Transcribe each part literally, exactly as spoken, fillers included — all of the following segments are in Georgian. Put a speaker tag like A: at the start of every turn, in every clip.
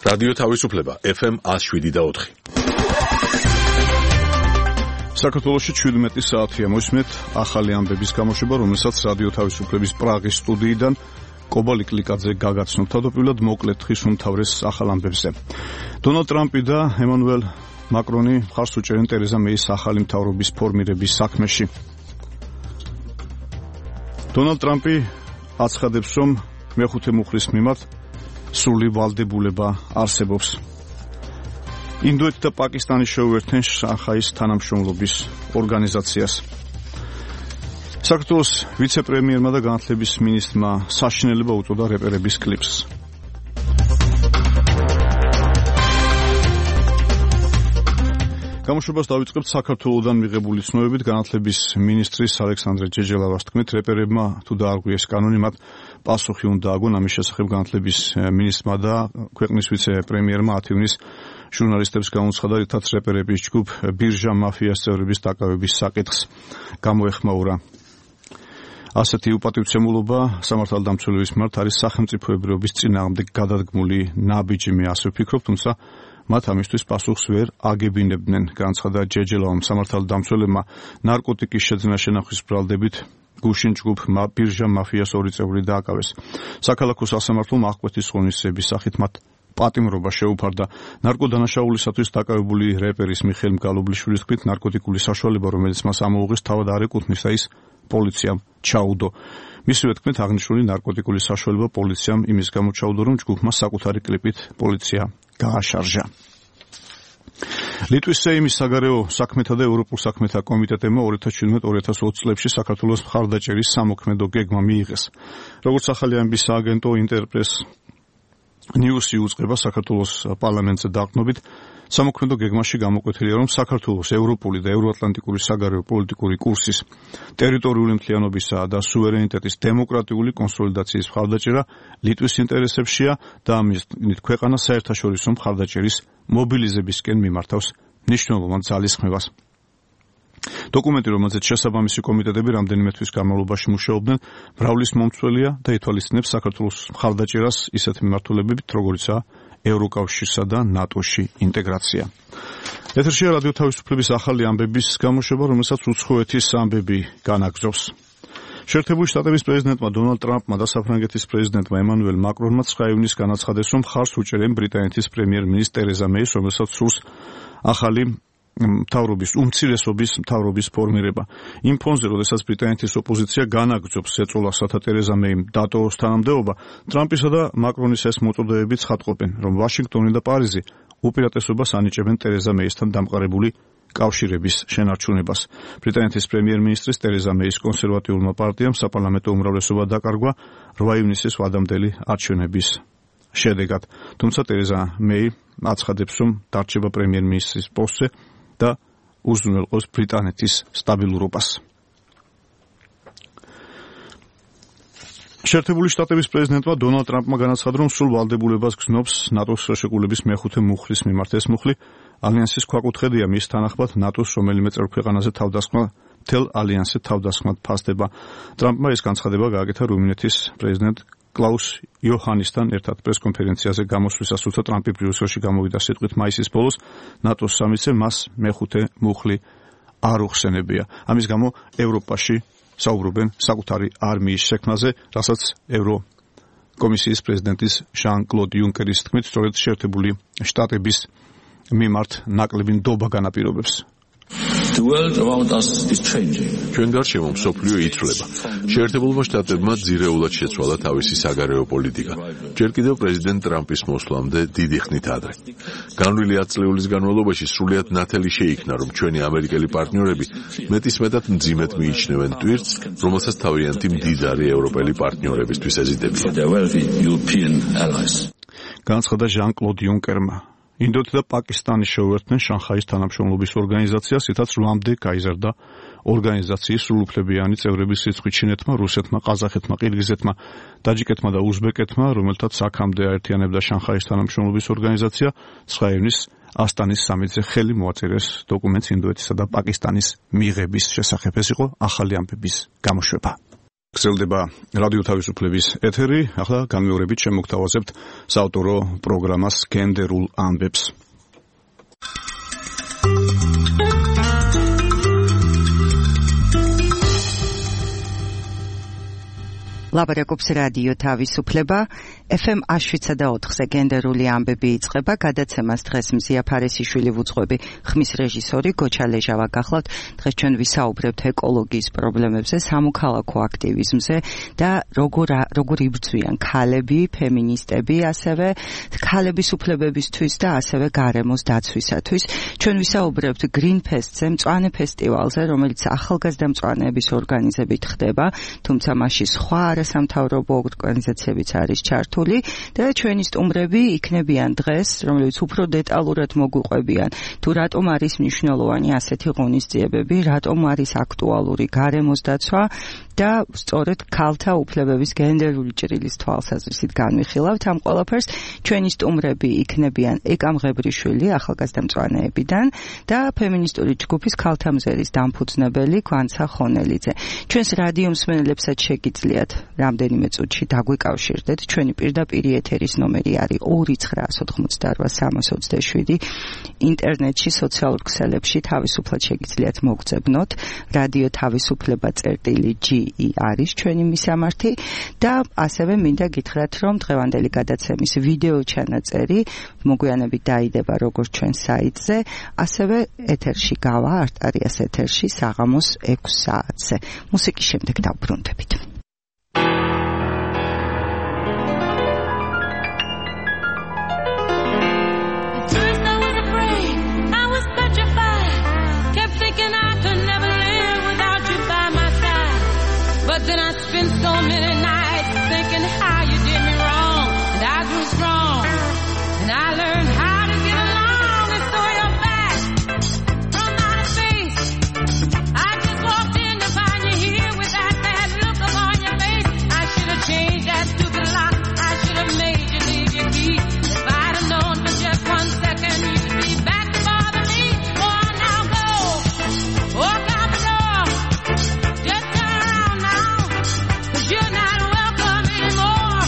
A: რადიო თავისუფლება ეფ ემ one oh seven და four.
B: საქართველოში ჩვიდმეტი საათია მოსმეთ ახალი ამბების გამოშვება, რომელსაც რადიო თავისუფლების პრაღის სტუდიიდან კობალი კლიკაძე გაგაცნობ. თავდაპირველად მოკლედ ხის უმთავრეს ახალ ამბებზე. დონალდ ტრამპი და ემანუელ მაკრონი მხარს უჭერენ ტერეზა მეის ახალი მთავრობის ფორმირების საქმეში. დონალდ ტრამპი აცხადებს, რომ მეხუთე მუხლის მიმართ სრული ვალდებულება არსებობს. ინდოეთი და პაკისტანი შეუერთდნენ შანხაის თანამშრომლობის ორგანიზაციას. საქართველოს ვიცე-პრემიერმა და განათლების მინისტრმა საშინელება უწოდა რეპერების კლიპს. გამოშვებას დავიწყებთ საქართველოდან მიღებული ცნობებით. განათლების მინისტრის ალექსანდრე ჯეჯელავას თქმით, რეპერებმა თუ დაარღვიეს კანონი, მათ პასუხი უნდა აგონ. ამის შესახებ განათლების მინისტრმა და ქვეყნის ვიცე-პრემიერმა ათი ივნის ჟურნალისტებს გამოცხადა, რითაც რეპერების ჯგუფ ბირჟა მაფიას წევრების დაკავების საკითხს გამოეხმაურა. ასეთი უპატივცემულობა სამართალდამცველების მიმართ არის სახელმწიფოებრიობის წინააღმდეგ გადადგმული ნაბიჯი. მე ასე ვფიქრობ, თუმცა მათ ამისთვის პასუხს ვერ აგებინებდნენ, განცხადა ჯეჯელავამ. სამართალდამცველებმა ნარკოტიკის შეძენა შენახვის ბრალდებით გუშინ ჯგუფ ბირჟა მაფიას ორი წევრი დააკავეს. საქალაქო სასამართლომ აღკვეთის ღონისძიების სახით მათ პატიმრობა შეუფარდა. ნარკოდანაშაულისათვის დაკავებული რეპერის მიხეილ მგალობლიშვილის თქმით, ნარკოტიკული საშუალება, რომელიც მას ამოუღეს, თავად არ ეკუთვნის და ის პოლიციამ ჩაუდო. მისივე თქმით, აღნიშნული ნარკოტიკული საშუალება პოლიციამ იმის გამო ჩაუდო, რომ ჯგუფმა საკუთარი კლიპით პოლიცია გააშარჟა. ლიტვის სეიმის საგარეო საქმეთა და ევროპულ საქმეთა კომიტეტებმა ორი ათას შვიდმეტ ორი ათას ოცი წლებში საქართველოს მხარდაჭერის სამოქმედო გეგმა მიიღეს. როგორც ახალი ამბის სააგენტო ინტერპრეს ნიუსი უწყება საქართველოს პარლამენტზე დაყრდნობით, სამოქმედო გეგმაში გამოკვეთილია, რომ საქართველოს ევროპული და ევროატლანტიკური საგარეო პოლიტიკური კურსის, ტერიტორიული მთლიანობისა და სუვერენიტეტის დემოკრატიული კონსოლიდაციის მხარდაჭერა ლიტვის ინტერესებშია და ამის ქვეყანა საერთაშორისო მხარდაჭერის მობილიზებისკენ მიმართავს მნიშვნელოვან ძალისხმევას. დოკუმენტი, რომელზეც შესაბამისი კომიტეტები რამდენიმე თვის განმავლობაში მუშაობდნენ, მრავლის მომცველია და ითვალისწინებს საქართველოს მხარდაჭერას ისეთ მიმართულებებით, როგორიცაა ევროკავშირსა და ნატოში ინტეგრაცია. ეთერშია რადიო თავისუფლების ახალი ამბების გამოშვება, რომელსაც უცხოეთის ამბები განაგრძობს. შეერთებული შტატების პრეზიდენტმა დონალდ ტრამპმა და საფრანგეთის პრეზიდენტმა ემანუელ მაკრონმა ცხრა ივნისს განაცხადეს, რომ მხარს უჭერენ ბრიტანეთის პრემიერ-მინისტრ ტერეზა მეის, რომელსაც სურს ახალი მთავრობის უმცირესობის მთავრობის ფორმირება. იმ ფონზე, როდესაც ბრიტანეთის ოპოზიცია განაგრძობს ეწოლას, რათა ტერეზა მეიმ დატოვოს თანამდებობა, ტრამპისა და მაკრონის ეს მოწოდებები ცხადყოფენ, რომ ვაშინგტონი და პარიზი უპირატესობას ანიჭებენ ტერეზა მეისთან დამყარებული კავშირების შენარჩუნებას. ბრიტანეთის პრემიერ-მინისტრის ტერეზა მეის კონსერვატიულმა პარტიამ საპარლამენტო უმრავლესობა დაკარგვა რვა ივნისის ვადამდელი არჩევნების შედეგად. თუმცა ტერეზა მეი აცხადებს, რომ დარჩება პრემიერ-მინისტრის პოსტზე და უზრუნველყოს ბრიტანეთის სტაბილურობას. შეერთებული შტატების პრეზიდენტმა დონალდ ტრამპმა განაცხადა, რომ სრულ ვალდებულებას გრძნობს ნატოს შეკრულების მეხუთე მუხლის მიმართ. ეს მუხლი ალიანსის ქვაკუთხედია, მის თანახმად ნატოს რომელიმე წევრ ქვეყანაზე თავდასხმა მთელ ალიანსზე თავდასხმად ფასდება. ტრამპმა ეს განცხადება გააკეთა რუმინეთის პრეზიდენტ კლაუს იოჰანისთან ერთად პრესკონფერენციაზე გამოსვლისას, თუმცა ტრამპი ბრიუსელში გამოვიდა სიტყვით მაისის ბოლოს ნატოს სამიტზე მას მეხუთე მუხლი არ უხსენებია. ამის გამო ევროპაში საუბრობენ საკუთარი არმიის შექმნაზე, რასაც ევროკომისიის პრეზიდენტის ჟან-კლოდ იუნკერის თქმით, სწორედ შეერთებული შტატების მიმართ ნაკლები ნდობა განაპირობებს.
A: ჩვენ გარშემო მსოფლიო იცვლება. შეერთებულმა შტატებმა ძირეულად შეცვალა თავისი საგარეო პოლიტიკა. ჯერ კიდევ პრეზიდენტ ტრამპის მოსვლამდე დიდი ხნით ადრე. განვლილი ათი წლების განმავლობაში სრულიად ნათელი შეიქმნა, რომ ჩვენი ამერიკელი პარტნიორები მეტისმეტად მძიმედ მიიჩნევენ ტვირთს, რომელსაც თავიანთი მდიდარი ევროპელი პარტნიორებისთვის ეზიდებიან.
B: განაცხადა ჟან-კლოდ იუნკერმა. ინდოეთი და პაკისტანი შეუერთდნენ შანხაის თანამშრომლობის ორგანიზაციას, რითაც რვამდე გაიზარდა ორგანიზაციის სრულუფლებიანი წევრების რიცხვი ჩინეთმა, რუსეთმა, ყაზახეთმა, ყირგიზეთმა, ტაჯიკეთმა და უზბეკეთმა, რომელთაც აქამდე აერთიანებდა შანხაის თანამშრომლობის ორგანიზაცია, ცხრა ივნისს ასტანის სამიტზე ხელი მოაწერეს დოკუმენტს ინდოეთისა და პაკისტანის მიღების შესახებ. ეს იყო ახალი ამბების გამოშვება. გრძელდება რადიო თავისუფლების ეთერი. ახლა განმეორებით შემოგთავაზებთ საავტორო პროგრამას გენდერულ ამბებს.
C: ლაპარაკობს რადიო თავისუფლება ეფ ემ შვიდსა და ოთხზე გენდერული ამბები იწყება. გადაცემას დღეს მზია ფარესიშვილი ვუძღვები, ხმის რეჟისორი გოჩა ლეჟავა გახლავთ. დღეს ჩვენ ვისაუბრებთ ეკოლოგიის პრობლემებზე, სამოქალაქო აქტივიზმზე და როგორ როგორ იბრძვიან ქალები, ფემინისტები, ასევე ქალების უფლებებისთვის და ასევე გარემოს დაცვისათვის. ჩვენ ვისაუბრებთ Green Fest-ზე, მწვანე ფესტივალზე, რომელიც ახალგაზრდა მწვანეების ორგანიზებით ხდება, თუმცა მასში სხვა სამთავრობო ორგანიზაციებიც არის ჩართული და ჩვენი სტუმრები იქნებიან დღეს, რომლებიც უფრო დეტალურად მოგვიყვებიან თუ რატომ არის მნიშვნელოვანი ასეთი ღონისძიებები, რატომ არის აქტუალური გარემოს დაცვა და სწორედ ქალთა უფლებების გენდერული ჭრილის თვალსაზრისით განვიხილავთ ამ ყველაფერს. ჩვენი სტუმრები იქნებიან ეკამ ღებრიშვილი ახალგაზრდა მწვანეებიდან და ფემინისტური ჯგუფის ქალთა მზერის დამფუძნებელი გვანცა ხონელიძე. ჩვენს რადიო მსმენელებსაც შეგიძლიათ რამდენიმე წუთში დაგვიკავშირდეთ. ჩვენი პირდაპირ ეთერის ნომერი არის ორი ცხრაას ოთხმოცდაოთხ სამას ოცდაშვიდი. ინტერნეტში, სოციალურ ქსელებში თავისუფლად შეგიძლიათ მოგწებნოთ. რადიო თავისუფლება წერტილი ჯი არის ჩვენი მისამართი და ასევე მინდა გითხრათ, რომ დღევანდელი გადაცემის ვიდეო ჩანაწერი მოგვიანებით დაიდება როგორც ჩვენ საიტზე, ასევე ეთერში გავა არტარიას ეთერში საღამოს ექვს საათზე. მუსიკის შემდეგ დავბრუნდებით.
D: But then I spent so many nights thinking how you did me wrong, and I grew strong, and I learned how to get along, and so you're back from outer space. I just walked in to find you here with that bad look upon your face. I should have changed that stupid lock. I should have made you leave your key. If I'd have known for just one second you'd be back to bother me. Oh, now go, walk out the door, just turn around now. You're not welcome anymore.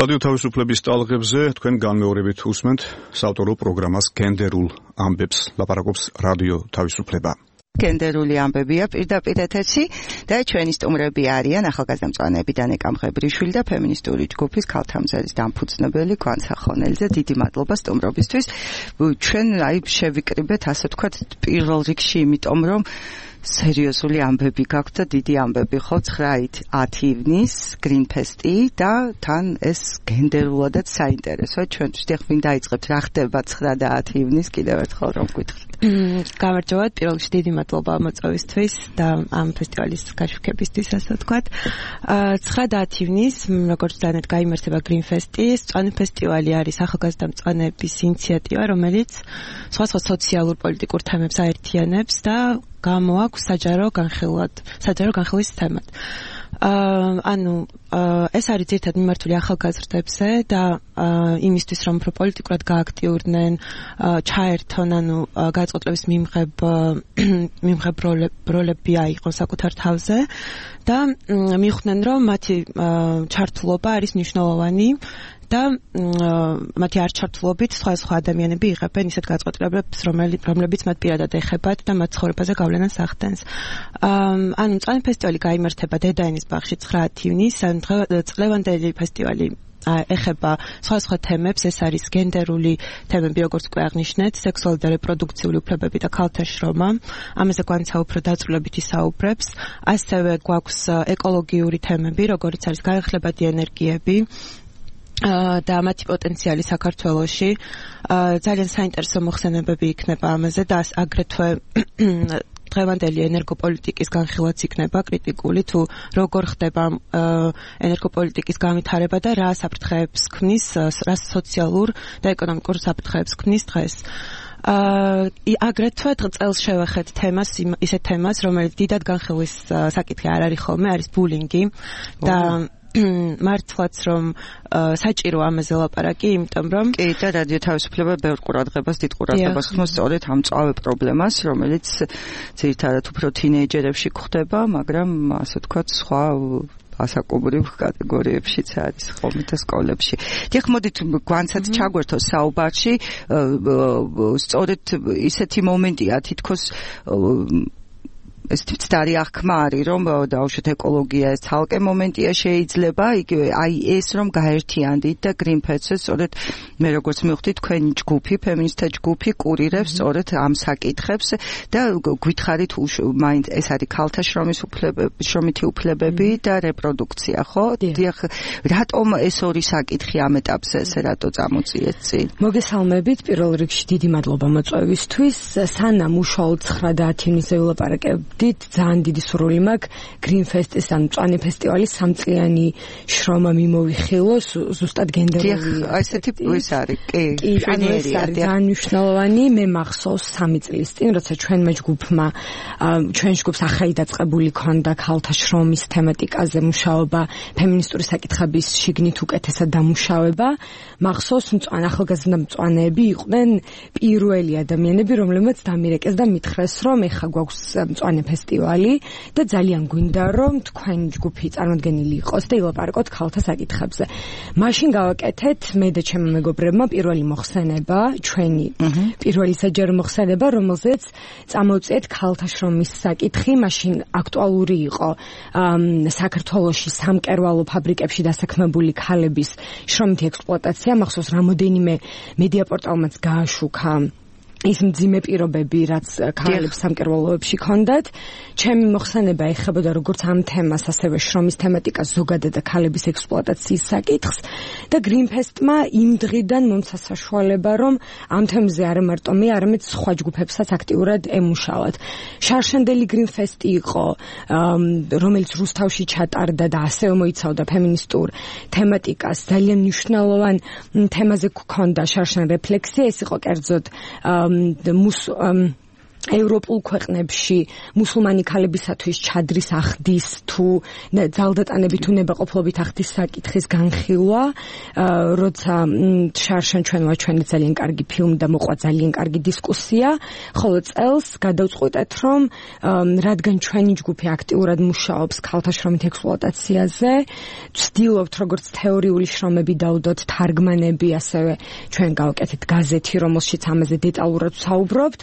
B: რადიო თავისუფლების ტალღებზე თქვენ განმეორებით უსმენთ საავტორო პროგრამას გენდერულ ამბებს, ლაპარაკობს რადიო თავისუფლება.
C: გენდერული ამბებია პირდაპირ ეთერში და ჩვენი სტუმრები არიან ახალგაზრდა მწვანეები დანე კამხებრიშვილი და ფემინისტური ჯგუფის ქალთა მზერის დამფუძნებელი გვანცა ხონელიძე. დიდი მადლობა სტუმრობისთვის. ჩვენ აი შევიკრიბეთ ასე ვთქვათ პირველ რიგში, იმიტომ რომ სერიოზული ამბები გაქვთ და დიდი ამბები ხო ცხრაით ათი ივნის გრინფესტი და თან ეს გენდერულადაც საინტერესოა ჩვენთვის. დიახ, ვინ დაიწყებთ რა ხდება ცხრა და ათი ივნის კიდევ ერთხელ რომ გითხრით.
E: გამარჯობათ, პირველ რიგში დიდი მადლობა მოწვევისთვის და ამ ფესტივალის გაშუქებისთვის, ასე ვთქვათ. ცხრა და ათი ივნის, როგორც დანეთ გაიმართება გრინფესტი, მწვანე ფესტივალი არის ახალგაზრდა მწვანეების ინიციატივა, რომელიც სხვადასხვა სოციალურ პოლიტიკურ თემებს აერთიანებს და გამოაქვს საჯარო განხილვად, საჯარო განხილვის თემად. აა ანუ ეს არის ძირითადად მიმართული ახალგაზრდებზე და იმისთვის რომ უფრო პოლიტიკურად გააქტიურდნენ, ჩაერთონ, ანუ გადაწყვეტილების მიმღებ მიმღებ როლები აიღონ საკუთარ თავზე და მიხვდნენ რომ მათი ჩართულობა არის მნიშვნელოვანი და მათი არჩართულობით სხვა ადამიანები იღებენ ისეთ გადაწყვეტილებებს, რომლებიც მათ პირადად ეხებათ და მათ ცხოვრებაზე გავლენას ახდენს. ანუ მწვანე ფესტივალი გაიმართება დედაენის ბაღში ცხრა ივნის, წლევანდელი ფესტივალი ეხება სხვა თემებს, ეს არის გენდერული თემები, როგორც უკვე აღნიშნეთ, სექსუალური და რეპროდუქციული უფლებები და ქალთა შრომა. ამაზე გვანცა უფრო დაწვრილებით ისაუბრებს. ასევე გვაქვს ეკოლოგიური თემები, როგორც არის განახლებადი ენერგიები და მათი პოტენციალი საქართველოში. ძალიან საინტერესო მოხსენებები იქნება ამაზე და აგრეთვე დღევანდელი ენერგოპოლიტიკის განხილვაც იქნება კრიტიკული, თუ როგორ ხდება ენერგოპოლიტიკის განვითარება და რა საფრთხეებს ქმნის, რა სოციალურ და ეკონომიკურ საფრთხეებს ქმნის დღეს. აგრეთვე წელს შევახეთ თემას, ისეთ თემას, რომელიც დიდად განხილვის საკითხი არ არის ხოლმე, არის ბულინგი და მართლაც რომ საჭირო ამაზე ლაპარაკი, იმიტომ რომ
C: კი და რადიო თავისუფლება ბევრ ყურადღებას, დიდ ყურადღებას ხმობს სწორედ ამ მწვავე პრობლემას, რომელიც ძირითადად უფრო თინეიჯერებში გვხდება, მაგრამ ასე ვთქვათ სხვა ასაკობრივ კატეგორიებშიც არის ხოლმე და სკოლებში. დიახ, მოდით გვანცად ჩაგვერთო საუბარში, სწორედ ისეთი მომენტია თითქოს ეს ცდარი აღქმა არის, რომ დაუშვათ ეკოლოგია ეს ცალკე მომენტია შეიძლება, იგივე აი ეს რომ გაერთიანდით და გრინფესტს, სწორედ მე როგორც მივხვდი, თქვენი ჯგუფი, ფემინისტთა ჯგუფი კურირებს სწორედ ამ საკითხებს და გითხარით მაინც ეს არის ქალთა შრომის უფლებები, შრომითი უფლებები და რეპროდუქცია, ხო? დიახ, რატომ ეს ორი საკითხი ამ ეტაპზე ესე რატო წამოწიეთ წინ?
F: მოგესალმებით, პირველ რიგში დიდი მადლობა მოწვევისთვის. სანამ უშუალოდ ცხრა და ათი ივნის ველაპარაკებ დიდ ძალიან დიდი სურვილი მაქვს გრინფესტის ან მწვანე ფესტივალის სამწლიანი შრომა მიმოვიხილოს ზუსტად გენდერული.
C: დიახ, ესეთი ის არის, კი,
F: შვენიერია, ძალიან მნიშვნელოვანი. მე მახსოვს სამი წლის წინ, როცა ჩვენმა ჯგუფმა, ჩვენ ჯგუფს ახალი დაწყებული ქონდა ქალთა შრომის თემატიკაზე მუშაობა, ფემინისტური საკითხების შიგნით უკეთესად დამუშავება. მახსოვს მწვანე ახალგაზრდა მწვანეები იყვნენ პირველი ადამიანები, რომლებმაც დამირეკეს და მითხრეს, რომ ეხა გვაქვს მწვანე ფესტივალი და ძალიან გვინდა რომ თქვენ ჯგუფი წარმოდგენილი იყოს და ილაპარაკოთ ქალთა საკითხებზე. მაშინ გავაკეთეთ მე და ჩემი მეგობრებმა პირველი მოხსენება, ჩვენი პირველი საჯარო მოხსენება, რომელზეც წამოვწიეთ ქალთა შრომის საკითხი. მაშინ აქტუალური იყო საქართველოში სამკერვალო ფაბრიკებში დასაქმებული ქალების შრომითი ექსპლუატაცია. მახსოვს რამოდენიმე მედია პორტალმაც გააშუქა ის მძიმე პირობები, რაც ქალებს სამკერვალოებში ჰქონდათ. ჩემი მოხსენება ეხებოდა როგორც ამ თემას, ასევე შრომის თემატიკას ზოგადად და ქალების ექსპლუატაციის საკითხს და გრინფესტმა იმ დღიდან მომცა საშუალება, რომ ამ თემზე არა მარტო მე, არამედ სხვა ჯგუფებსაც აქტიურად ემუშავათ. შარშანდელი გრინფესტი იყო, რომელიც რუსთავში ჩატარდა და ასევე მოიცავდა ფემინისტურ თემატიკას. ძალიან მნიშვნელოვან თემაზე გვქონდა შარშან რეფლექსია, ეს იყო კერძოდ მუს ევროპულ ქვეყნებში მუსულმანი ქალებისათვის ჩადრის ახდის თუ ძალდატანებით თუ ნებაყოფლობით ახდის საკითხის განხილვა, როცა შარშან ჩვენ ვაჩვენეთ ძალიან კარგი ფილმი და მოყვა ძალიან კარგი დისკუსია, ხოლო წელს გადავწყვიტეთ, რომ რადგან ჩვენი ჯგუფი აქტიურად მუშაობს ქალთა შრომით ექსპლუატაციაზე, ვცდილობთ როგორც თეორიული შრომები დავდოთ, თარგმანები, ასევე ჩვენ გავაკეთეთ გაზეთი, რომელშიც ამაზე დეტალურად ვსაუბრობთ,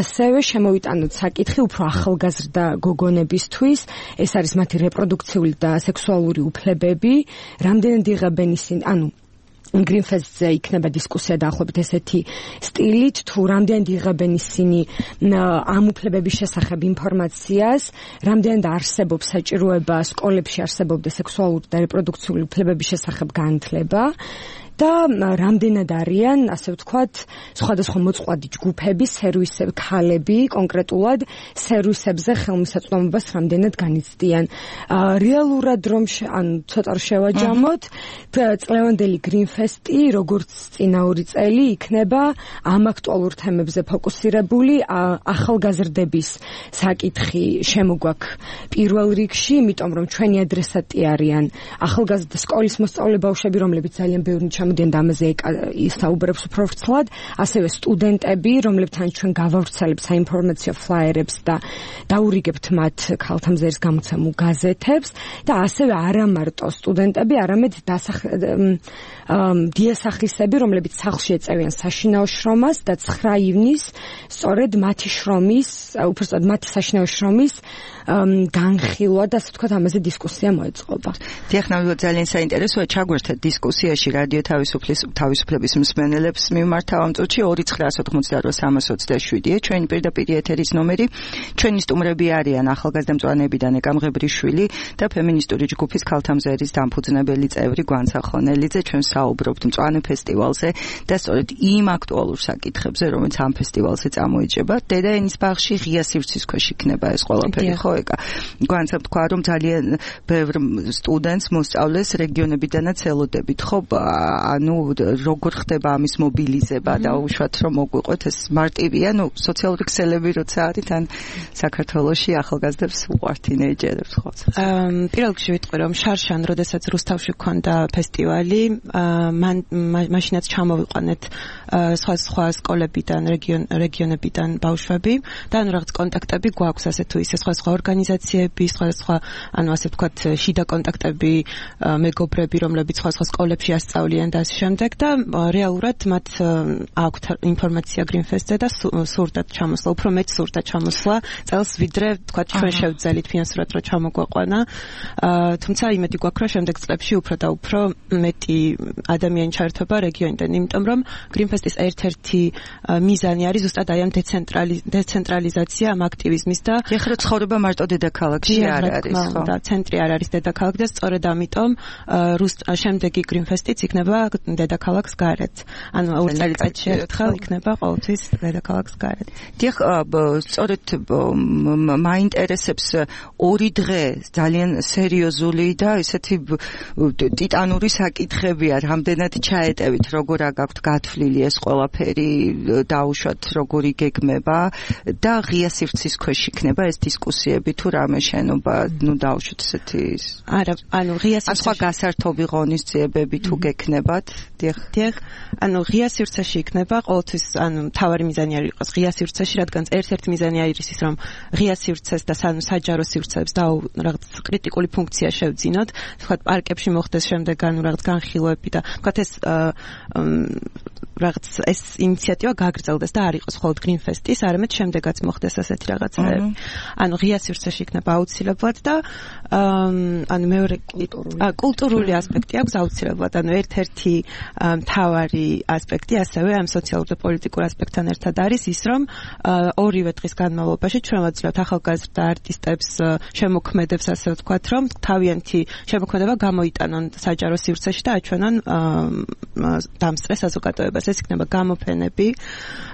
F: ასევე შემოვიტანოთ საკითხი უფრო ახალგაზრდა გოგონებისთვის, ეს არის მათი რეპროდუქციული და სექსუალური უფლებები, რამდენად იღებენ ისინი, ანუ Greenfest-ზე იქნება დისკუსია დაახლოებით ესეთი სტილით, თუ რამდენად იღებენ ისინი ამ უფლებების შესახებ ინფორმაციას, რამდენად არსებობს საჭიროება სკოლებში არსებობდა სექსუალური და რეპროდუქციული უფლებების შესახებ განათლება და რამდენად არიან, ასე ვთქვათ, სხვადასხვა მოწყვლადი ჯგუფები, სერვისები, ქალები, კონკრეტულად სერვისებზე ხელმისაწვდომობას რამდენად განიცდიან. რეალურად რომ ანუ ცოტა შევაჯამოთ, წლევანდელი Greenfest-ი, როგორც წინა ორი წელი, იქნება ამ აქტუალურ თემებზე ფოკუსირებული, ახალგაზრდების საკითხი შემოგვაქვს პირველ რიგში, იმიტომ რომ ჩვენი ადრესატი არიან ახალგაზრდა სკოლის მოსწავლე ბავშვები, რომლებიც ძალიან ბევრი მოდიან ამაზე ისაუბრებს უფრო ვრცლად, ასევე სტუდენტები, რომლებთან ჩვენ გავავრცელებთ საინფორმაციო ფლაიერებს და დაურიგებთ მათ ქალთა მზერის გამოცემულ გაზეთებს და ასევე არა მარტო სტუდენტები, არამედ დიასახლისები, რომლებიც სახლში ეწევიან საშინაო შრომას და ცხრა ივნისს სწორედ მათი შრომის, უბრალოდ მათი საშინაო შრომის განხილვა და ასე ვთქვათ ამაზე დისკუსია მოეწყობა.
C: დიახ, ნამდვილად ძალიან საინტერესოა ჩაგვერთეთ დისკუსიაში რადიო თავისუფლის თავისუფლების მსმენელებს მიმართა ამ წუთში ორი ცხრა ოცდაოთხ სამას ოცდაშვიდია ჩვენი პირდაპირ ეთერის ნომერი. ჩვენი სტუმრები არიან ახალგაზრდა მწვანეებიდან ეკამღებრიშვილი და ფემინისტური ჯგუფის ქალთა მზერის დამფუძნებელი წევრი გვანცა ხონელიძე. ჩვენ საუბრობთ მწვანე ფესტივალზე და სწორედ იმ აქტუალურ საკითხებზე, რომელიც ამ ფესტივალზე წამოიჭება. დედაენის ბაღში ღია სივრცის ქვეშ იქნება ეს ყველაფერი, ხო? გვანცა თქვა რომ ძალიან ბევრ სტუდენტს მოსწავლეს რეგიონებიდანაც ელოდებით, ხო? ანუ როგორ ხდება ამის მობილიზება და უშუალოდ რომ მოგვიყვეთ ეს მარტივია, ნუ სოციალური ქსელები როცა არის თან საქართველოში ახალგაზრდებს უყვართ თინეიჯერებს, ხო?
E: პირველ რიგში ვიტყვი რომ შარშან, როდესაც რუსთავში გქონდა ფესტივალი, მან მაშინაც ჩამოვიყვანეთ სხვა სხვა სკოლებიდან, რეგიონებიდან ბავშვები და ანუ რაღაც კონტაქტები გვაქვს ასე თუ ისე სხვა სხვა ორგანიზაციები, სხვა სხვა, ანუ ასე ვთქვათ, შიდა კონტაქტები, მეგობრები, რომლებიც სხვა სხვა სკოლებში ასწავლიან და ასე შემდეგ და რეალურად მათ აქვთ ინფორმაცია Greenfest-ზე და სურდათ ჩამოსვლა, უფრო მეტ სურდათ ჩამოსვლა წელს, ვიდრე ვთქვათ ჩვენ შევძელით ფინანსურად რომ ჩამოგვაყვანა. თუმცა იმედი გვაქვს, რომ შემდეგ წლებში უფრო და უფრო მეტი ადამიანი ჩაერთვება რეგიონიდან, იმიტომ რომ Greenfest-ის ერთ-ერთი მიზანი არის ზუსტად აი ამ დეცენტრალიზაცია, ამ აქტივიზმის და
C: ეხლა ცხოვრება მარტო დედაქალაქში არ არის, ხო?
E: და ცენტრი არ არის დედაქალაქი და სწორედ ამიტომ შემდეგი Greenfest-იც იქნება დედაქალაქს გარეთ. ანუ ორ წელიწადში ერთხელ იქნება ყოველთვის დედაქალაქს გარეთ.
C: დიახ, სწორედ მაინტერესებს ორი დღე ძალიან სერიოზული და ესეთი ტიტანური საკითხებია, რამდენად ჩაეტევით, როგორ აგაქვთ გათვლილი ეს ყველაფერი, დაუშვათ როგორი გეგმება და ღია სივრცის ქვეშ იქნება ეს დისკუსიები თუ რამე შენობა, ნუ დაუშვათ ესეთი
E: არა, ანუ ღია სივრცეში
C: სხვა გასართობი ღონისძიებები თუ გექნებათ. დიახ.
E: დიახ, ანუ ღია სივრცეში იქნება ყოველთვის, ანუ თავარი მიზანი არ იყოს ღია სივრცეში, რადგან ერთ-ერთი მიზანი არის ის, რომ ღია სივრცეს და საჯარო სივრცეებს და რაღაც კრიტიკული ფუნქცია შევძინოთ, თქვათ პარკებში მოხდეს შემდეგ ანუ რაღაც განხილვები და თქვათ ეს რაღაც ეს ინიციატივა გაგრძელდეს და არ იყოს მხოლოდ Greenfest-ის, არამედ შემდეგაც მოხდეს ასეთი რაღაცები. ანუ ღია სივრცეში იქნება აუცილებლად და ანუ მეორე კულტურული ასპექტი აქვს აუცილებლად, ანუ ერთ-ერთი მთავარი ასპექტი ასევე ამ სოციალურ და პოლიტიკურ ასპექტთან ერთად არის ის, რომ ორივე დღის განმავლობაში ჩვენ ვაძლევთ ახალგაზრდა არტისტებს, შემოქმედებს, ასე ვთქვათ, რომ თავიანთი შემოქმედება გამოიტანონ საჯარო სივრცეში და აჩვენონ დამსწრე საზოგადოებას. ეს იქნება გამოფენები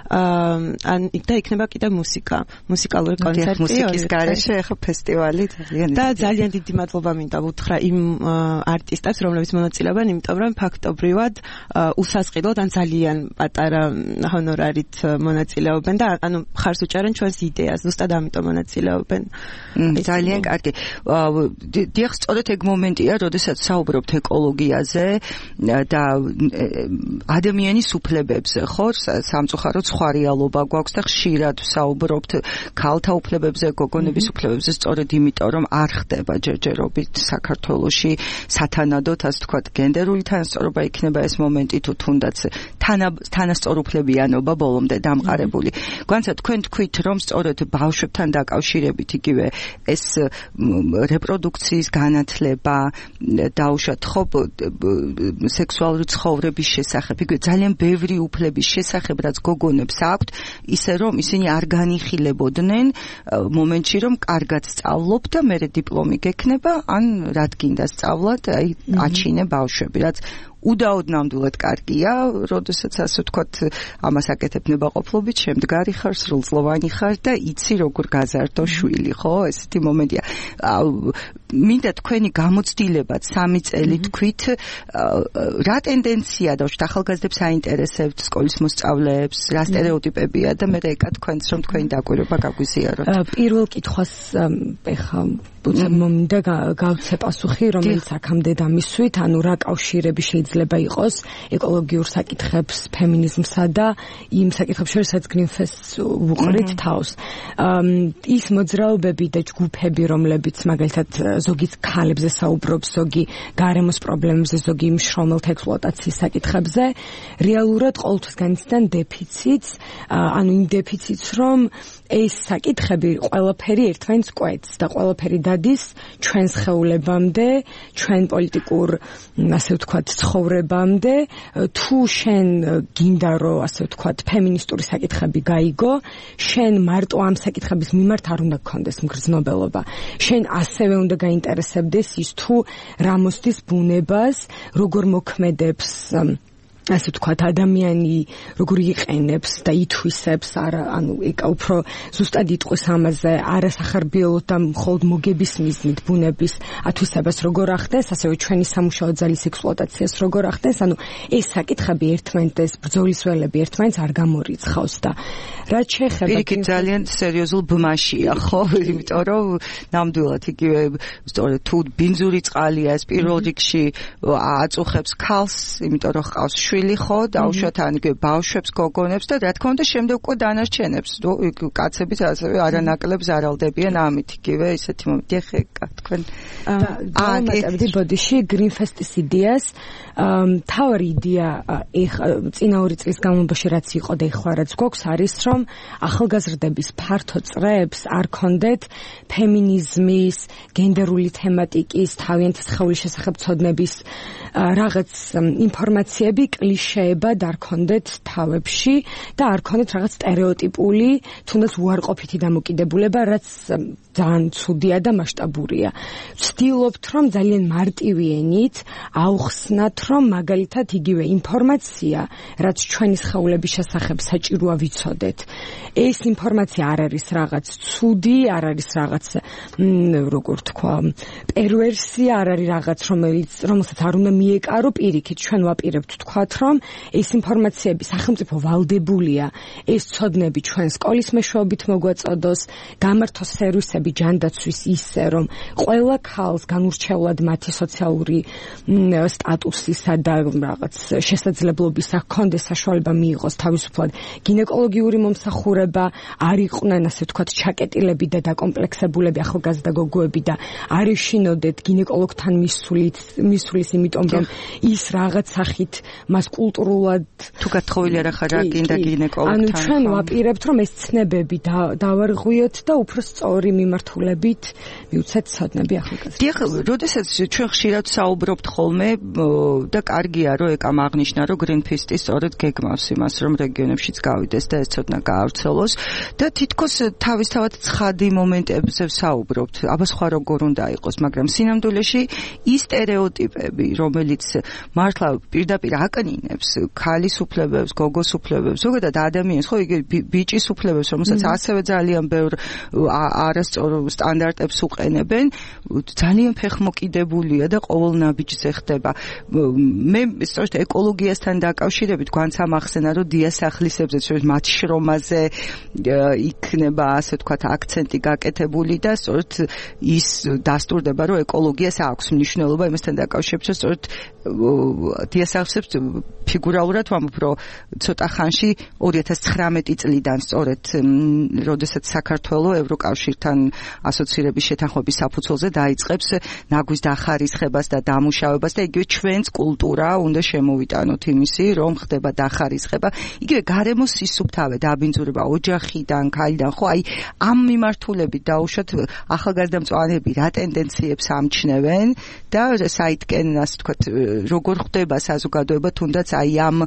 E: ან და იქნება კიდე მუსიკა, მუსიკალური კონცერტი.
C: მუსიკის გარეშე ახლა ფესტივალი ძალიან
E: და ძალიან დიდი მადლობა მინდა ვუთხრა იმ არტისტებს, რომლებიც მონაწილეობენ, იმიტომ რომ ფაქტობრივად უსასყიდლოდ ან ძალიან პატარა ჰონორარით მონაწილეობენ და ანუ მხარს უჭერენ ჩვენს იდეას, ზუსტად ამიტომ მონაწილეობენ.
C: ძალიან კარგი. დიახ, სწორედ ეგ მომენტია, როდესაც საუბრობთ ეკოლოგიაზე და ადამიანის უფლებებზე, ხო? სამწუხაროდ სხვა რეალობა გვაქვს და ხშირად ვსაუბრობთ ქალთა უფლებებზე, გოგონების უფლებებზე, სწორედ იმიტომ, რომ არ ხდება ჯერჯერობით საქართველოში სათანადოდ, ასე ვთქვათ, გენდერული თანასწორობა იქნება ეს მომენტი თუ თუნდაც თანასწორუფლებიანობა ბოლომდე დამყარებული. გვანცა თქვენ თქვით, რომ სწორედ ბავშვებთან დაკავშირებით იგივე ეს რეპროდუქციის განათლება, დაუშვათ ხო სექსუალური ცხოვრების შესახებ, იგივე ძალიან ბევრი უფლების შესახებ, რაც გოგონებს აქვთ, ისე რომ ისინი არ განიხილებოდნენ მომენტში, რომ კარგად სწავლობ და მერე დიპლომი გექნება, ან რად გინდა სწავლად, აი აჩინე ბავშვები, რაც უდაოდ ნამდვილად კარგია, როდესაც ასე ვთქვათ, ამას აკეთებ ნებაყოფლობით, შემდგარი ხარ, სრულწლოვანი ხარ და იცი როგორ გაზარდო შვილი, ხო? ესეთი მომენტია. მინდა თქვენი გამოცდილებად სამი წელი თქვით, რა ტენდენცია დავშვით ახალგაზრდებს აინტერესებთ, სკოლის მოსწავლეებს, რა სტერეოტიპებია და მე ეკა თქვენს რომ თქვენი დაკვირვება გაგვიზიაროთ.
F: პირველ კითხვას ეხა მომდა გავცე პასუხი, რომელიც აქამდე დამისვით, ანუ რა კავშირები შეიძლება იყოს ეკოლოგიურ საკითხებს, ფემინიზმსა და იმ საკითხებს შორის, რაც გრინფესტს უყრით თავს. ის მოძრაობები და ჯგუფები, რომლებიც მაგალითად ზოგი ქალებზე საუბრობს, ზოგი გარემოს პრობლემებზე, ზოგი მშრომელთა ექსპლუატაციის საკითხებზე, რეალურად ყოველთვის განიცდიან დეფიციტს, ანუ იმ დეფიციტს, რომ ეს საკითხები ყველაფერი ერთმანეთს კვეთს და ყველაფერი დადის ჩვენს ხეულებამდე, ჩვენ პოლიტიკურ, ასე ვთქვათ, ცხოვრებამდე, თუ შენ გინდა რომ, ასე ვთქვათ, ფემინისტური საკითხები გაიგო, შენ მარტო ამ საკითხების მიმართ არ უნდა გქონდეს მგრძნობელობა. შენ ასევე უნდა გაინტერესებდეს ის თუ რა მოსდის ბუნებას, როგორ მოქმედებს ასე ვთქვათ, ადამიანი როგორ იყენებს და ითვისებს, არა, ანუ ეკა უფრო ზუსტად იტყვის ამაზე, არასახარბიელოდ და მხოლოდ მოგების მიზნით ბუნების ათვისებას როგორ ახდენს, ასევე ჩვენი სამუშაო ძალის ექსპლუატაციას როგორ ახდენს, ანუ ეს საკითხები ერთმანეთს, ბრძოლის ველები ერთმანეთს არ გამორიცხავს და რაც შეეხება
C: პირიქით ძალიან სერიოზულ ბმაშია, ხო? იმიტომ რომ ნამდვილად იგივე სწორედ თუ ბინძური წყალია ეს პირველ რიგში აწუხებს ქალს, იმიტომ რომ ჰყავს შვილი, ხო, დაუშვათ ან იგივე ბავშვებს, გოგონებს და რა თქმა უნდა შემდეგ უკვე დანარჩენებს, კაცებიც ასევე არანაკლებ ზარალდებიან ამით, იგივე ისეთი მომენტი ხეკა თქვენ.
F: ამატებდი ბოდიში გრინფესტის იდეას, თავი იდეა წინა ორი წლის განმავლობაში რაც იყო და ეხლა რაც გვაქვს არის რომ ახალგაზრდების ფართო წრეებს არ ქონდეთ ფემინიზმის, გენდერული თემატიკის, თავიანთი სხეულის შესახებ ცოდნების რაღაც ინფორმაციები კლიშეებად არ ქონდეთ თავებში და არ ქონდეთ რაღაც სტერეოტიპული, თუნდაც უარყოფითი დამოკიდებულება, რაც ძალიან ცუდია და მასშტაბურია. ვცდილობთ რომ ძალიან მარტივი ენით აუხსნათ რომ მაგალითად იგივე ინფორმაცია, რაც ჩვენი სხეულების შესახებ საჭიროა ვიცოდეთ. ეს ინფორმაცია არ არის რაღაც ცუდი, არ არის რაღაც როგორ თქვა, პერვერსია, არ არის რაღაც რომელიც რომელსაც არ უნდა მიეკარო, პირიქით ჩვენ ვაპირებთ თქვათ რომ ეს ინფორმაციები სახელმწიფო ვალდებულია, ეს ცოდნები ჩვენ სკოლის მეშვეობით მოგვაწოდოს, გამართოს სერვისები ჯანდაცვის ისე რომ ყველა ქალს განურჩევლად მათი სოციალური სტატუსისა და რაღაც შესაძლებლობისა ჰქონდეს საშუალება მიიღოს თავისუფლად გინეკოლოგიური მომსახურება, არ იყვნენ ასე ვთქვათ ჩაკეტილები და დაკომპლექსებულები ახალგაზრდა გოგოები და არ ეშინოდეთ გინეკოლოგთან მისulit მისulis იმიტომ რომ ის რაღაც სახით მას კულტურულად
C: თუ გათხოვილი არ ახარ გინდა გინეკოლოგთან.
F: ანუ ჩვენ ვაპირებთ რომ ეს ცნებები დავარღვიოთ და უფრო სწორი მიმართულებით მიმართულებით მივცეთ ცოდნები ახალგაზრდებს.
C: დიახ, როდესაც ჩვენ ხშირად საუბრობთ ხოლმე და კარგია რომ ეკამ აღნიშნა რომ Greenpeace-ი სწორედ გეგმავს იმას რომ რეგიონებშიც გავიდეს და ეს ცოდნა გაავრცელოს და თითქოს თავისთავად ცხადი მომენტებზე ვსაუბრობთ. აბა სხვა როგორ უნდა იყოს, მაგრამ სინამდვილეში ის სტერეოტიპები, რომელიც მართლა პირდაპირ აკნინებს ქალის უფლებებს, გოგოს უფლებებს, ზოგადად ადამიანს, ხო, იგი ბიჭის უფლებებს, რომელსაც ასევე ძალიან ბევრ არასწორ სტანდარტებს უყენებენ, ძალიან ფეხმოკიდებულია და ყოველ ნაბიჯზე ხდება. მე სწორედ ეკოლოგიასთან დაკავშირებით გვანცა მახსენა, რომ დიასახლისებზე, სწორედ მათ შრომაზე იქნება, ასე ვთქვათ, აქცენტი გაკეთებული და სწორედ ის დასტურდება, რომ ეკოლოგიას აქვს მნიშვნელობა იმასთან დაკავშირებით, რომ სწორედ დიასახლისებს ფიგურალურად ვამბობ, რომ ცოტა ხანში ორი ათას ცხრამეტი წლიდან სწორედ როდესაც საქართველო ევროკავშირთან ასოცირების შეთანხმების საფუძველზე დაიწყებს ნაგვის დახარისხებას და დამუშავებას და იგივე ჩვენს კულტურა უნდა შემოვიტანოთ იმისი, რომ ხდება დახარისხება, იგივე გარემოს სისუფთავე, დაბინძურება ოჯახიდან, ქალიდან, ხო, აი ამ მიმართულებით დაუშვათ ახალგაზრდა მწვანეები რა ტენდენციებს ამჩნევენ და საითკენ, ასე ვთქვათ, როგორ ხდება საზოგადოება თუნდაც აი ამ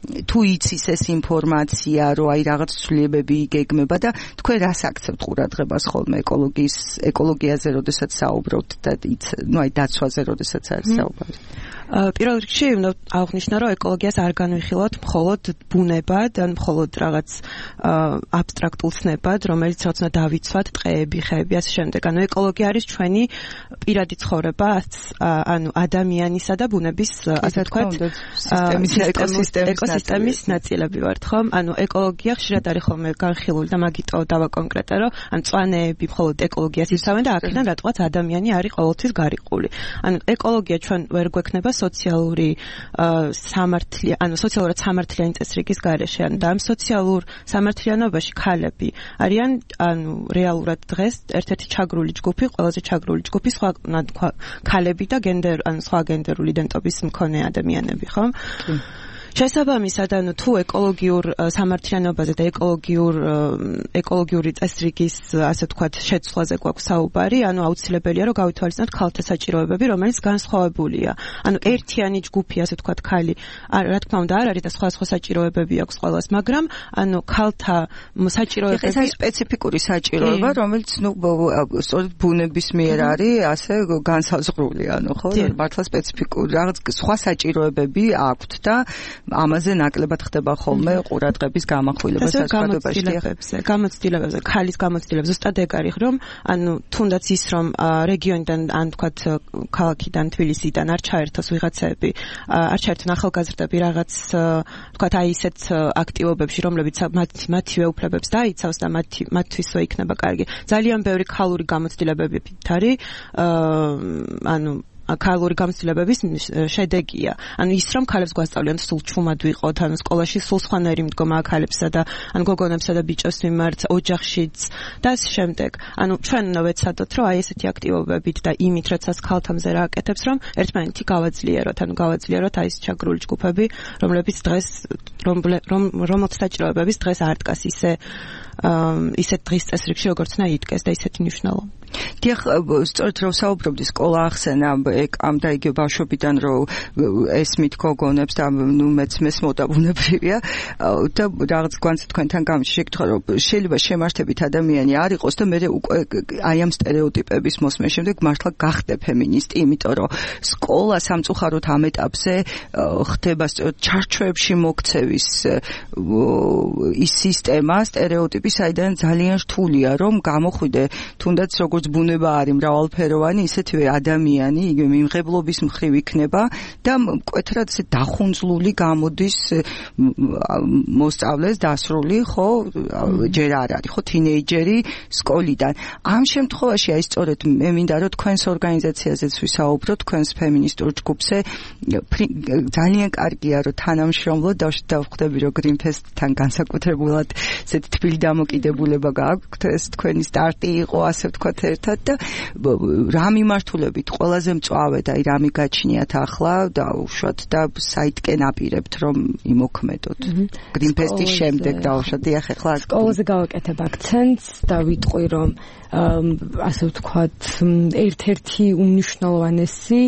C: თუ იცის ეს ინფორმაცია, რომ აი რაღაც ცვლილებები იგეგმება და თქვენ რას აქცევთ ყურადღებას ხოლმე ეკოლოგიის ეკოლოგიაზე, როდესაც საუბრობთ და ნუ აი დაცვაზე, როდესაც არის საუბარი.
E: პირველ რიგში უნდა აღნიშნო, რომ ეკოლოგიას არ განვიხილოთ მხოლოდ ბუნებად, ან მხოლოდ რაღაც აბსტრაქტულ ცნებად, რომელიც რაც უნდა დავიცვათ ტყეები, ხეები, ასე შემდეგ. ანუ ეკოლოგია არის ჩვენი პირადი ცხოვრება, ანუ ადამიანისა და ბუნების, ასე ვთქვათ, ეკოსისტემის ნაწილები ვართ, ხო? ანუ ეკოლოგია ხშირად არის ხოლმე განხილული და მაგიტო დავაკონკრეტე, რომ ან მწვანეები მხოლოდ ეკოლოგიას იცავენ და აქედან რატოაც ადამიანი არის ყოველთვის გარიყული. ანუ ეკოლოგია ჩვენ ვერ გვექნება სოციალური სამართლიანი, ანუ სოციალურად სამართლიანი წესრიგის გარეშე. ანუ და ამ სოციალურ სამართლიანობაში ქალები არიან, ანუ რეალურად დღეს ერთ-ერთი ჩაგრული ჯგუფი, ყველაზე ჩაგრული ჯგუფი სხვა ქალები და გენდერ, ანუ სხვა გენდერული იდენტობის მქონე ადამიანები, ხო? შესაბამისად, ანუ თუ ეკოლოგიურ სამართლიანობაზე და ეკოლოგიურ ეკოლოგიური წესრიგის, ასე ვთქვათ, შეცვლაზე გვაქვს საუბარი, ანუ აუცილებელია, რომ გავითვალისწინოთ ქალთა საჭიროებები, რომელიც განსხვავებულია. ანუ ერთიანი ჯგუფი, ასე ვთქვათ, ქალი, რა თქმა უნდა, არ არის და სხვა სხვა საჭიროებები აქვს ყველას, მაგრამ ანუ ქალთა საჭიროებები
C: ეს არის სპეციფიკური საჭიროება, რომელიც ნუ სწორედ ბუნების მიერ არის ასე განსაზღვრული, ანუ ხო, მართლა სპეციფიკური რაღაც სხვა საჭიროებები აქვთ და ამაზე ნაკლებად ხდება ხოლმე ყურადღების გამახვილება საზოგადოებაში.
E: გამოცდილებებზე, ქალის გამოცდილებებზე ზუსტად ეგ არის, რომ ანუ თუნდაც ის რომ რეგიონიდან, ან თქვათ ქალაქიდან, თბილისიდან არ ჩაერთოს ვიღაცები, არ ჩაერთონ ახალგაზრდები რაღაც თქვათ აი ისეთ აქტივობებში, რომლებიც მათივე უფლებებს დაიცავს და მათი მათთვისვე იქნება კარგი. ძალიან ბევრი ქალური გამოცდილებებით არის, ანუ ქალური გამოცდილებების შედეგია. ანუ ის რომ ქალებს გვასწავლიან სულ ჩუმად ვიყოთ, ანუ სკოლაში სულ სხვანაირი მდგომა ქალებსა და ან გოგონებსა და ბიჭებს მიმართ, ოჯახშიც და ამ შემდეგ. ანუ ჩვენ უნდა ვეცადოთ, რომ აი ესეთი აქტივობებით და იმით, როდესაც ქალთამზე რა აკეთებს, რომ ერთმანეთი გავაძლიეროთ, ანუ გავაძლიეროთ აი ეს ჩაგრული ჯგუფები, რომლებიც დღეს რომელთა საჭიროებების დღეს არ დგას ისე ისეთ დღის წესრიგში, როგორც უნდა იდგეს და ისეთი მნიშვნელობა.
C: დიახ, სწორედ რომ საუბრობდი, სკოლა ახსენა ეკამ და იგივე ბავშვობიდან რომ ესმით გოგონებს და ნუ მეც მესმოდა ბუნებრივია და რაღაც გვანცეთ თქვენთან გამიჩი შეკითხა, რომ შეიძლება შემართებით ადამიანი არ იყოს და მე უკვე აი ამ სტერეოტიპების მოსმენის შემდეგ მართლა გახდე ფემინისტი, იმიტომ რომ სკოლა სამწუხაროდ ამ ეტაპზე ხდება სწორედ ჩარჩოებში მოქცევის ის სისტემა, სტერეოტიპი, საიდან ძალიან რთულია რომ გამოხვიდე თუნდაც როგორც ბუნება არის მრავალფეროვანი, ისეთვე ადამიანი, იგივე მიმღებლობის მხრივ იქნება და მკვეთრად ესე დახუნძლული გამოდის მოსწავლეს დასრული, ხო, ჯერ არ არის, ხო, თინეიჯერი სკოლიდან. ამ შემთხვევაში აი სწორედ მე მინდა რომ თქვენს ორგანიზაციაზეც ვისაუბროთ, თქვენს ფემინისტურ ჯგუფზე ძალიან კარგია რომ თანამშრომლობთ და დავხვდები რომ Greenpeace-თან განსაკუთრებულად ესეთი თბილი დამოკიდებულება გააქვთ, ეს თქვენი სტარტი იყო, ასე ვთქვათ, ერთად და რა მიმართულებით ყველაზე მწვავე და აი რა მიგაჩნიათ ახლა და უშუალოდ და საიტკენ აპირებთ რომ იმოქმედოთ გრინფესტის შემდეგ და უშუალოდ ეხ ახლა
F: სკოლაზე გავაკეთებ აქცენტს და ვიტყვი რომ ასე ვთქვათ ერთ-ერთი უმნიშვნელოვანესი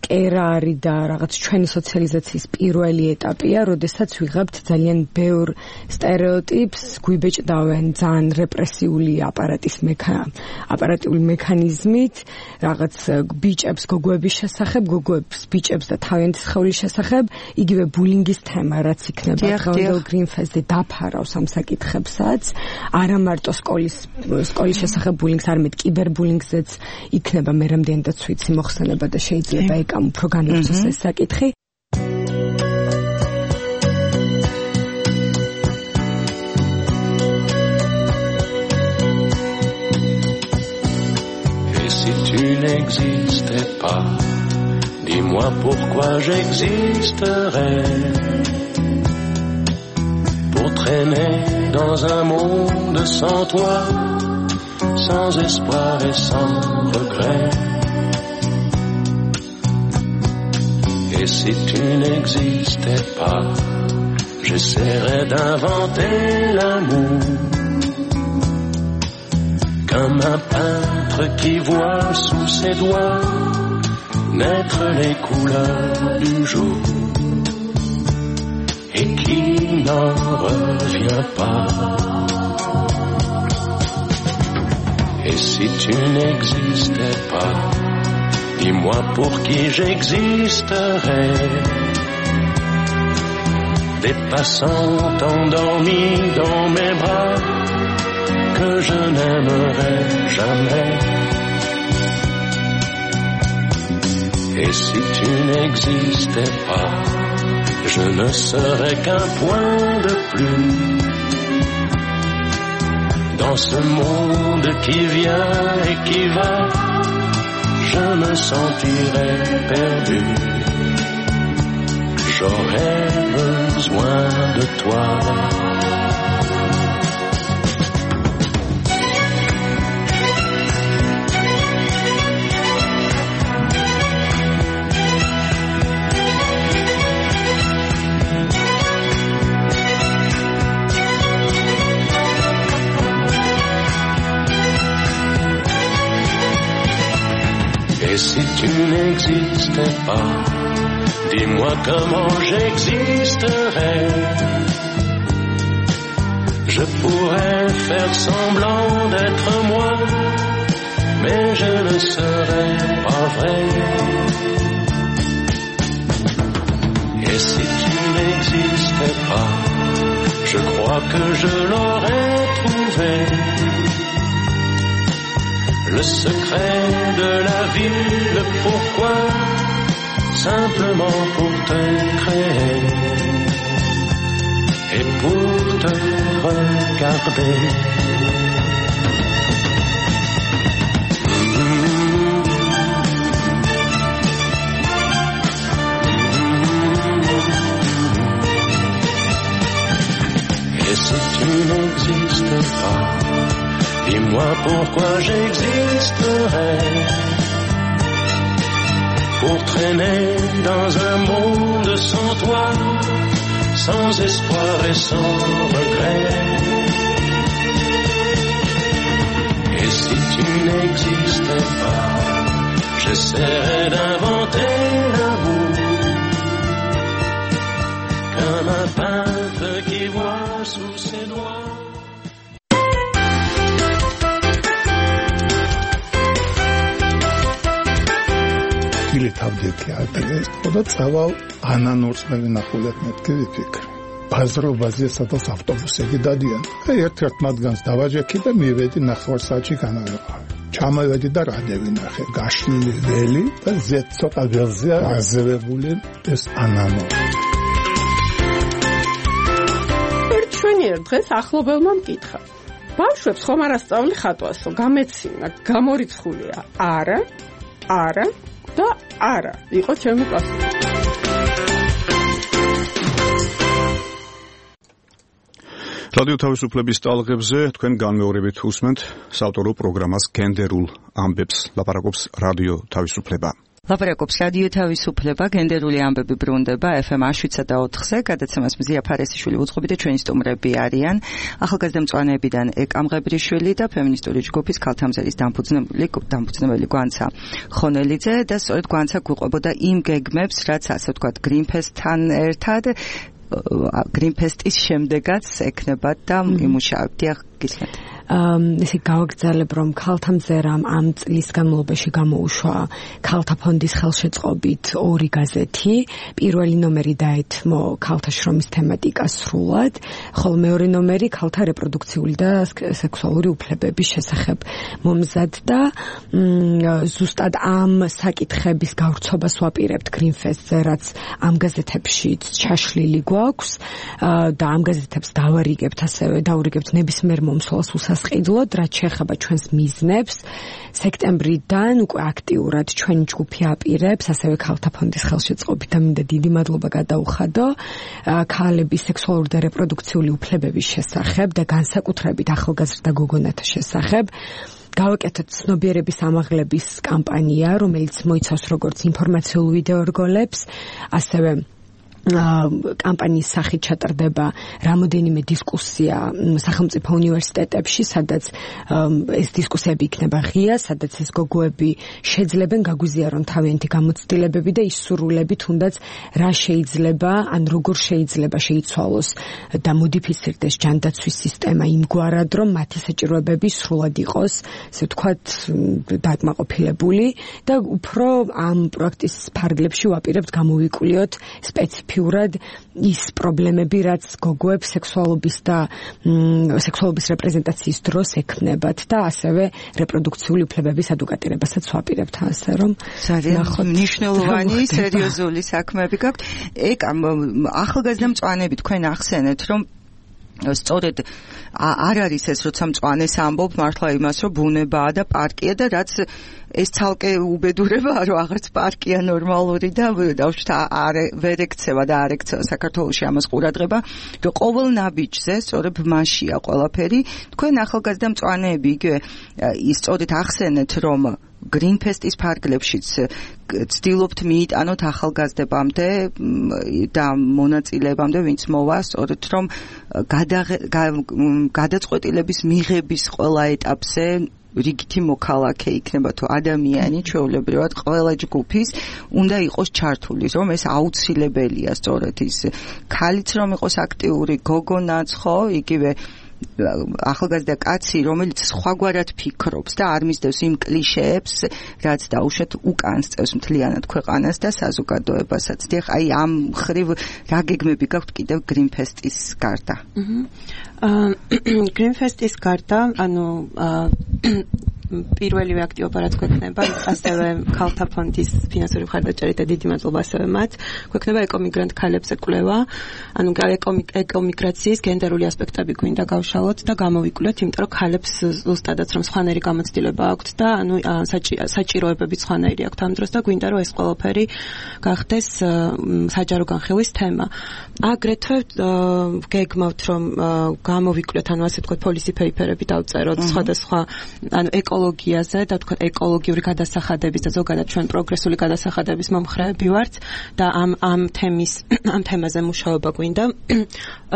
F: კერა არის და რაღაც ჩვენი სოციალიზაციის პირველი ეტაპია, როდესაც ვიღებთ ძალიან ბევრ სტერეოტიპს, გვიბეჭდავენ ძალიან რეპრესიული აპარატის აპარატიული მექანიზმით, რაღაც ბიჭებს გოგოების შესახებ, გოგოებს ბიჭებს და თავიანთი სხეულის შესახებ, იგივე ბულინგის თემა, რაც იქნება დღევანდელ გრინფესტზე დაფარავს ამ საკითხებსაც, არა მარტო სკოლის სკოლის შესახებ ბულინგს, არამედ კიბერბულინგზეც იქნება მე რამდენადაც ვიცი მოხსენება და შეიძლება ამ უფრო განვიცოს ეს საკითხი.
G: Et si tu n'existais pas, dis-moi pourquoi j'existerais. Pour traîner dans un monde sans toi, sans espoir et sans regret. Et si tu n'existais pas, j'essaierais d'inventer l'amour. Comme un peintre qui voit sous ses doigts naître les couleurs du jour et qui n'en revient pas. Et si tu n'existais pas, dis-moi pour qui j'existerais. Des passants endormis dans mes bras que je n'aimerais jamais. Et si tu n'existais pas, je ne serais qu'un point de plus dans ce monde qui vient et qui va. Je me sentirais perdu. J'aurais besoin de toi. Et si tu n'existais pas, dis-moi comment j'existerais. Je pourrais faire semblant d'être moi, mais je ne serais pas vrai. Et si tu n'existais pas, je crois que je l'aurais trouvé. Le secret de la vie, le pourquoi, simplement pour te créer et pour te regarder. Et si tu n'existais pas, dis-moi pourquoi j'existerais. Pour traîner dans un monde sans toi, sans espoir et sans regret. Et si tu n'existais pas, j'essaierais d'inventer l'amour. Comme un peintre qui voit sous ses doigts.
H: თავდექი ადრე და წავალ ანანურს მე ვინახულებ მეთქი ვიფიქრე ბაზრობაზე სადაც ავტობუსები დადიან და ერთ-ერთ მათგანს დავაჯექი და მივედი ნახევარ საათში განავეყავი ჩამოვედი და რა დავინახე გაშლილი ველი და ზეთ ცოტა ველზე აზევებული ეს ანანო
I: ერთ ჩვენიერ დღეს ახლობელმა მკითხა ბავშვებს ხომ არ ასწავლი ხატვასო გამეცინა გამორიცხულია არა არა და არა იყო ჩემი პასუხი
B: რადიო თავისუფლების ტალღებზე თქვენ განმეორებით უსმენთ საავტორო პროგრამას გენდერულ ამბებს. ლაპარაკობს რადიო თავისუფლება.
C: ლაპარაკობს რადიო თავისუფლება, გენდერული ამბები ბრუნდება ეფ ემ შვიდსა და ოთხზე, გადაცემას მზია ფარესიშვილი უძღვები და ჩვენი სტუმრები არიან ახალგაზრდა მწვანეებიდან ეკა მღებრიშვილი და ფემინისტური ჯგუფის ქალთამზერის დამფუძნებელი დამფუძნებელი გვანცა ხონელიძე და სწორედ გვანცა გვიყვებოდა იმ გეგმებს, რაც ასე ვთქვათ გრინფესთან ერთად გრინფესტის შემდეგაც ექნებათ და იმუშავებთ. დიახ, გისმენთ.
F: ესე გავაგრძელებ, რომ ქალთამზერამ ამ წლის განმავლობაში გამოუშვა ქალთა ფონდის ხელშეწყობით ორი გაზეთი. პირველი ნომერი დაეთმო ქალთა შრომის თემატიკას სრულად, ხოლო მეორე ნომერი ქალთა რეპროდუქციული და სექსუალური უფლებების შესახებ მომზადდა. ზუსტად ამ საკითხების გავრცობას ვაპირებთ გრინფესტზე, რაც ამ გაზეთებშიც ჩაშლილი გვაქვს და ამ გაზეთებს დავარიგებთ, ასევე დავარიგებთ ნებისმიერ მომსვლას უსასყიდლოდ, რაც შეეხება ჩვენს მიზნებს. სექტემბრიდან უკვე აქტიურად ჩვენი ჯგუფი აპირებს, ასევე ქალთა ფონდის ხელშეწყობით და მინდა დიდი მადლობა გადაუხადო ქალების სექსუალური და რეპროდუქციული უფლებების შესახებ და განსაკუთრებით ახალგაზრდა გოგონათა შესახებ. გავაკეთოთ ცნობიერების ამაღლების კამპანია, რომელიც მოიცავს როგორც ინფორმაციულ ვიდეო რგოლებს, ასევე კამპანიის სახით ჩატარდება რამოდენიმე დისკუსია სახელმწიფო უნივერსიტეტებში, სადაც ეს დისკუსიები იქნება ღია, სადაც ეს გოგოები შეძლებენ გაგვიზიარონ თავიანთი გამოცდილებები და ისურვილები, თუნდაც რა შეიძლება, ან როგორ შეიძლება შეიცვალოს და მოდიფიცირდეს ჯანდაცვის სისტემა იმგვარად, რომ მათი საჭიროებები სრულად იყოს, ასე ვთქვათ, დაკმაყოფილებული და უფრო ამ პროექტის ფარგლებში ვაპირებთ გამოვიკვლიოთ სპეციფიკურად ფიურად ის პრობლემები, რაც გოგოებს სექსუალობის და სექსუალობის რეპრეზენტაციის დროს ექმნებათ და ასევე რეპროდუქციული უფლებების ადვოკატირებასაც ვაპირებთ, ასე რომ
C: ნახოთ მნიშვნელოვანი სერიოზული საქმეები გაქვთ. ეკა ახალგაზრდა მწვანეები თქვენ ახსენეთ, რომ სწორედ არ არის ეს, როცა მწვანეს ამბობ მართლა იმას, რომ ბუნებაა და პარკია და რაც ეს ცალკე უბედურებაა, რომ აღარც პარკია ნორმალური და დავშვით არ ვერ ექცევა და არ ექცევა საქართველოში ამას ყურადღება, რომ ყოველ ნაბიჯზე სწორედ მასშია ყველაფერი. თქვენ ახალგაზრდა მწვანეები იგივე სწორედ ახსენეთ, რომ გრინფესტის ფარგლებშიც ცდილობთ მიიტანოთ ახალგაზრდებამდე და მონაწილეებამდე, ვინც მოვა, სწორედ რომ გადაწყვეტილების მიღების ყველა ეტაპზე რიგითი მოქალაქე იქნება თუ ადამიანი, ჩვეულებრივად ყველა ჯგუფის უნდა იყოს ჩართული, რომ ეს აუცილებელია, სწორედ ის ქალიც რომ იყოს აქტიური, გოგონაც, ხო, იგივე ახალგაზრდა კაცი, რომელიც სხვაგვარად ფიქრობს და არ მისდევს იმ კლიშეებს, რაც დაუშვათ უკან სწევს მთლიანად ქვეყანას და საზოგადოებასაც. დიახ, აი ამ ხრივ რა გეგმები გაქვთ კიდევ გრინფესტის გარდა?
E: გრინფესტის გარდა, ანუ პირველივე აქტივობა რაც გვექნება, ასევე ქალთა ფონდის ფინანსური მხარდაჭერით და დიდი მადლობა ასევე მათ, გვექნება ეკომიგრანტ ქალებზე კვლევა, ანუ ეკომიგრაციის გენდერული ასპექტები გვინდა გავშალოთ და გამოვიკვლიოთ, იმიტომ რომ ქალებს ზუსტადაც რომ სხვანაირი გამოცდილება აქვთ და ანუ საჭიროებები სხვანაირი აქვთ ამ დროს და გვინდა რომ ეს ყველაფერი გახდეს საჯარო განხილვის თემა. აგრეთვე გეგმავთ რომ გამოვიკვლიოთ, ანუ ასე ვთქვათ, პოლისი პეიპერები დავწეროთ სხვადასხვა ანუ ეკოლოგიაზე და თქვა ეკოლოგიური გადასახადების და ზოგადად ჩვენ პროგრესული გადასახადების მომხრეები ვართ და ამ ამ თემის ამ თემაზე მუშაობა გვინდა.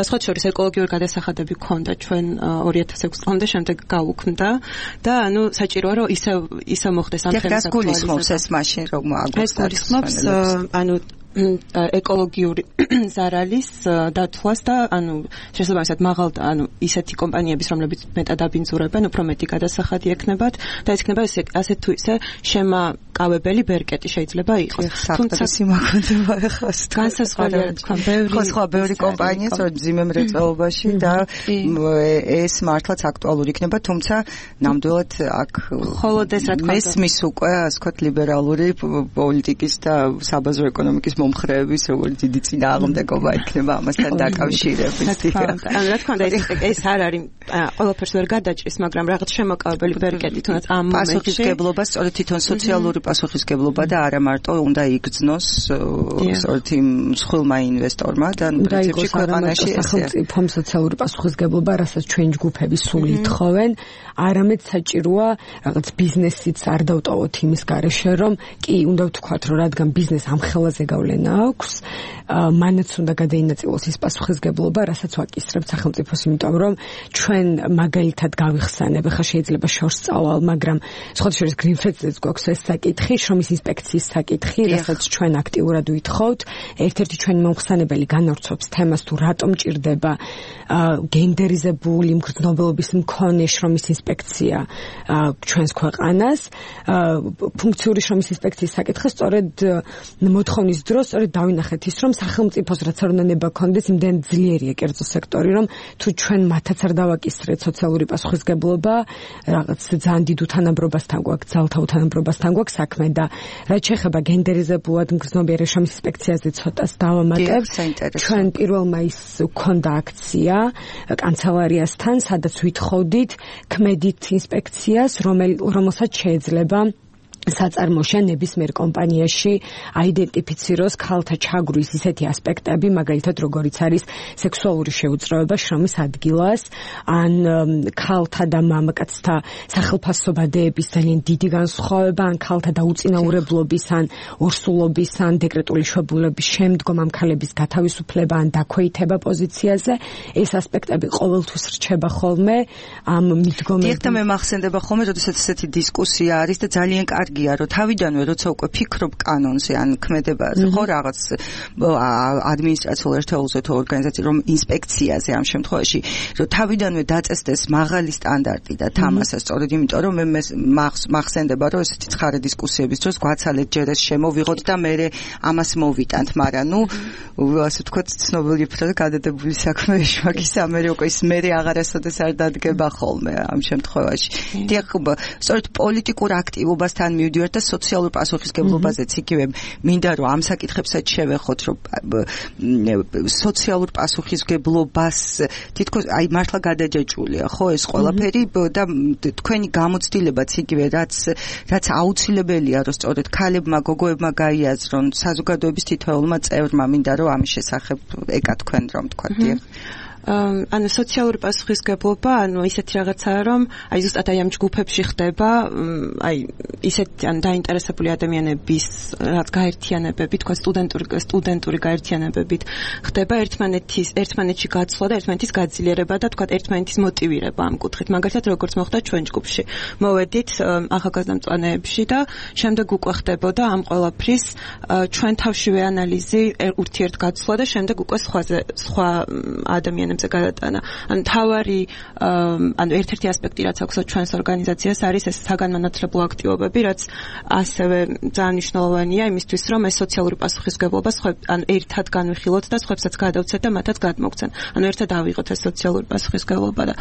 E: სხვა შორის ეკოლოგიური გადასახადები გქონდა ჩვენ ორი ათას ექვსი წლამდე, შემდეგ გაუქმდა და ანუ საჭიროა რომ ისე ისე მოხდეს ამ თემის
C: აქტუალიზება. ეს გულისხმობს ეს მაშინ რომ აგვისტოს.
E: ეს გულისხმობს ანუ ეკოლოგიური ზარალის დათვლას და ანუ შესაბამისად მაღალ ანუ ისეთი კომპანიების, რომლებიც მეტად აბინძურებენ, უფრო მეტი გადასახადი ექნებათ და ეს იქნება ასეთ თუ ისე შემაკავებელი ბერკეტი შეიძლება იყოს.
C: თუმცა სიმაგონდება ახლა
E: განსაზღვრულია თქვა ბევრი
C: ხო ბევრი კომპანია სწორედ მძიმე მრეწველობაში და ეს მართლაც აქტუალური იქნება, თუმცა ნამდვილად აქ
E: მხოლოდ ეს რა თქმა უნდა
C: მესმის უკვე ასე ვთქვათ ლიბერალური პოლიტიკის და საბაზრო ეკონომიკის მომხრეების როგორც დიდი წინააღმდეგობა იქნება ამასთან დაკავშირებით.
E: ანუ რა თქმა უნდა ეს ეს არ არის ყველაფერს ვერ გადაჭრის, მაგრამ რაღაც შემოკავებელი ვერ გეტი თუნდაც ამ მომენტში.
C: პასუხისგებლობა სწორედ თვითონ სოციალური პასუხისგებლობა და არა მარტო უნდა იგრძნოს სწორედ იმ მსხვილმა ინვესტორმა და პრინციპში ქვეყანაში
F: სახელმწიფომ სოციალური პასუხისგებლობა, რასაც ჩვენ ჯგუფები სულ ითხოვენ, არამედ საჭიროა რაღაც ბიზნესიც არ დავტოვოთ იმის გარეშე, რომ კი უნდა ვთქვათ, რომ რადგან ბიზნეს ამ ხელაზე გავლენა აქვს, მანაც უნდა გადაინაწილოს ის პასუხისგებლობა, რასაც ვაკისრებთ სახელმწიფოს, იმიტომ რომ ჩვენ მაგალითად გავიხსენებ, ახლა შეიძლება შორს წავალ, მაგრამ სხვათა შორის გრინფესტზეც გვაქვს ეს საკითხი, შრომის ინსპექციის საკითხი, რასაც ჩვენ აქტიურად ვითხოვთ. ერთ-ერთი ჩვენი მომხსენებელი განავრცობს თემას, თუ რატომ ჭირდება გენდერიზებული მგრძნობელობის მქონე შრომის ინსპექცია ჩვენს ქვეყანას. ფუნქციური შრომის ინსპექციის საკითხი სწორედ მოთხოვნის დროს სწორედ დავინახეთ ის, რომ სახელმწიფოს რაც არ უნდა ნება ქონდეს, იმდენ ძლიერია კერძო სექტორი, რომ თუ ჩვენ მათაც არ დავაკისრეთ სოციალური პასუხისგებლობა, რაღაც ძალიან დიდ უთანაბრობასთან გვაქვს, ძალთა უთანაბრობასთან გვაქვს საქმე და რაც შეეხება გენდერიზებულად მგრძნობიარე შრომის ინსპექციაზე ცოტას დავამატებ. ჩვენ პირველ მაისს გვქონდა აქცია კანცელარიასთან, სადაც ვითხოვდით ქმედით ინსპექციას, რომელსაც შეიძლება საწარმოშე ნებისმიერ კომპანიაში აიდენტიფიციროს ქალთა ჩაგვრის ისეთი ასპექტები, მაგალითად როგორიც არის სექსუალური შეუწყება შრომის ადგილას, ან ქალთა და მამაკაცთა სახელფასობადეების ძალიან დიდი განსხვავება, ან ქალთა დაუწინაურებლობის, ან ორსულობის, ან დეკრეტული შვებულების შემდგომ ამ ქალების გათავისუფლება, ან დაქვეითება პოზიციაზე, ეს ასპექტები ყოველთვის რჩება ხოლმე ამ მიდგომებში.
C: დიახ, და მე მახსენდება ხოლმე, როდესაც ესეთი დისკუსია არის და ძალიან კარგი რომ თავიდანვე როცა უკვე ფიქრობ კანონზე ან ქმედებაზე ხო რაღაც ადმინისტრაციულ ერთეულზე თუ ორგანიზაცია რომ ინსპექციაზე ამ შემთხვევაში რომ თავიდანვე დაწესდეს მაღალი სტანდარტი და თამასა სწორედ იმიტომ რომ მე მახსენდება რომ ესეთი ცხარე დისკუსიების დროს გვაცალეთ ჯერ ეს შემოვიღოთ და მე ამას მოვიტანთ, მაგრამ ნუ ასე ვთქვათ ცნობილი ფრაზა გადადებული საქმე შვაკის ამერი უკვე ის მე აღარასოდეს არ დადგება ხოლმე ამ შემთხვევაში. დიახ, სწორედ პოლიტიკურ აქტივობასთან მივდივართ და სოციალურ პასუხისგებლობაზეც იგივე მინდა რომ ამ საკითხებსაც შევეხოთ, რომ სოციალურ პასუხისგებლობას თითქოს აი მართლა გადაჯაჭვულია ხო ეს ყველაფერი და თქვენი გამოცდილებაც იგივე რაც რაც აუცილებელია რომ სწორედ ქალებმა გოგოებმა გაიაზრონ საზოგადოების თითოეულმა წევრმა, მინდა რომ ამის შესახებ ეკათქვენ რომ თქვა. დიახ.
E: ანუ სოციალური პასუხისგებლობა, ანუ ისეთი რაღაცაა, რომ აი ზუსტად აი ამ ჯგუფებში ხდება, აი ისეთი ან დაინტერესებული ადამიანების რაც გაერთიანებები, თქვა სტუდენტური სტუდენტური გაერთიანებებით ხდება ერთმანეთის ერთმანეთში გაცვლა და ერთმანეთის გაძლიერება და თქვა ერთმანეთის მოტივირება ამ კუთხით. მაგალითად, როგორც მოხდა ჩვენ ჯგუფში. მოვედით ახალგაზრდა მწვანეებში და შემდეგ უკვე ხდებოდა ამ ყველაფრის ჩვენ თავშივე ანალიზი, ურთიერთგაცვლა და შემდეგ უკვე სხვაზე სხვა ადამიანებს გადატანა. ანუ თავარი ანუ ერთ-ერთი ასპექტი რაც აქვს ჩვენს ორგანიზაციას არის ეს საგანმანათლებლო აქტივობები, რაც ასევე ძალიან მნიშვნელოვანია იმისთვის, რომ ეს სოციალური პასუხისგებლობა ანუ ერთად განვიხილოთ და სხვებსაც გადავცეთ და მათაც გადმოგცენ. ანუ ერთად ავიღოთ ეს სოციალური პასუხისგებლობა და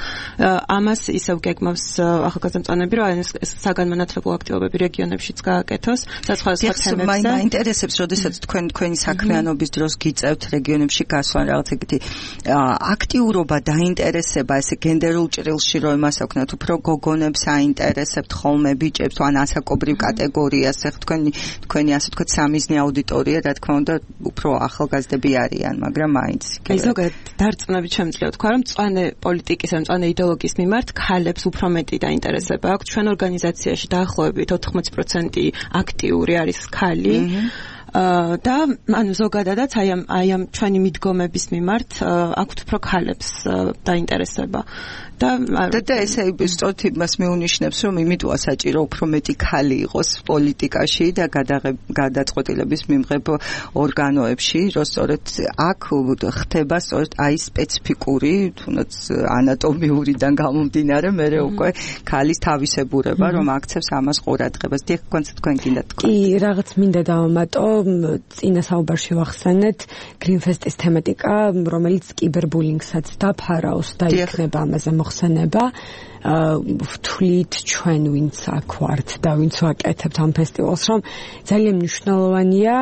E: ამას ისევ გეგმავს ახალგაზრდა მწვანეები, რომ ეს საგანმანათლებლო აქტივობები რეგიონებშიც გააკეთოს და სხვა სხვა თემებზე.
C: მაინტერესებს, როდესაც თქვენ თქვენი საქმიანობის დროს გიწევთ რეგიონებში გასვლა რაღაც ეგეთი აქტიურობა, დაინტერესება, ესე გენდერულ ჭრილში რომ იმას აქვს, უფრო გოგონებს აინტერესებთ ხოლმე ბიჭებს, ან ასაკობრივ კატეგორიას, ეხ თქვენი თქვენი ასე ვთქვათ სამიზნე აუდიტორია, რა თქმა უნდა, უფრო ახალგაზრდები არიან, მაგრამ მაინც.
E: აი ზოგადად დარწმუნებით შემიძლია თქვა, რომ მწვანე პოლიტიკის, მწვანე იდეოლოგიის მიმართ ქალებს უფრო მეტი დაინტერესება აქვს. ჩვენ ორგანიზაციაში დაახლოებით ოთხმოცი პროცენტი აქტიური არის ქალი. და ანუ ზოგადადაც აი ამ აი ამ ჩვენი მიდგომების მიმართ აქვთ უფრო ქალებს დაინტერესება და
C: და ესე სწორედ იმას მეუნიშნებს, რომ იმიტოა საჭირო უფრო მეტი ქალი იყოს პოლიტიკაში და გადაწყვეტილების მიმღებ ორგანოებში, რომ სწორედ აქ ხდება სწორედ აი სპეციფიკური, თუნდაც ანატომიურიდან გამომდინარე, მე უკვე ქალის თავისებურება, რომ აქცევს ამას ყურადღებას. დიახ, თქვენ გინდა თქვა.
F: კი, რაღაც მინდა დავამატო წინა საუბარში ვახსენეთ გრინფესტის თემატიკა, რომელიც კიბერბულინგსაც დაფარავს და იქნება ამაზე მოხსენება. ვთვლით ჩვენ ვინც აქ ვართ და ვინც ვაკეთებთ ამ ფესტივალს, რომ ძალიან მნიშვნელოვანია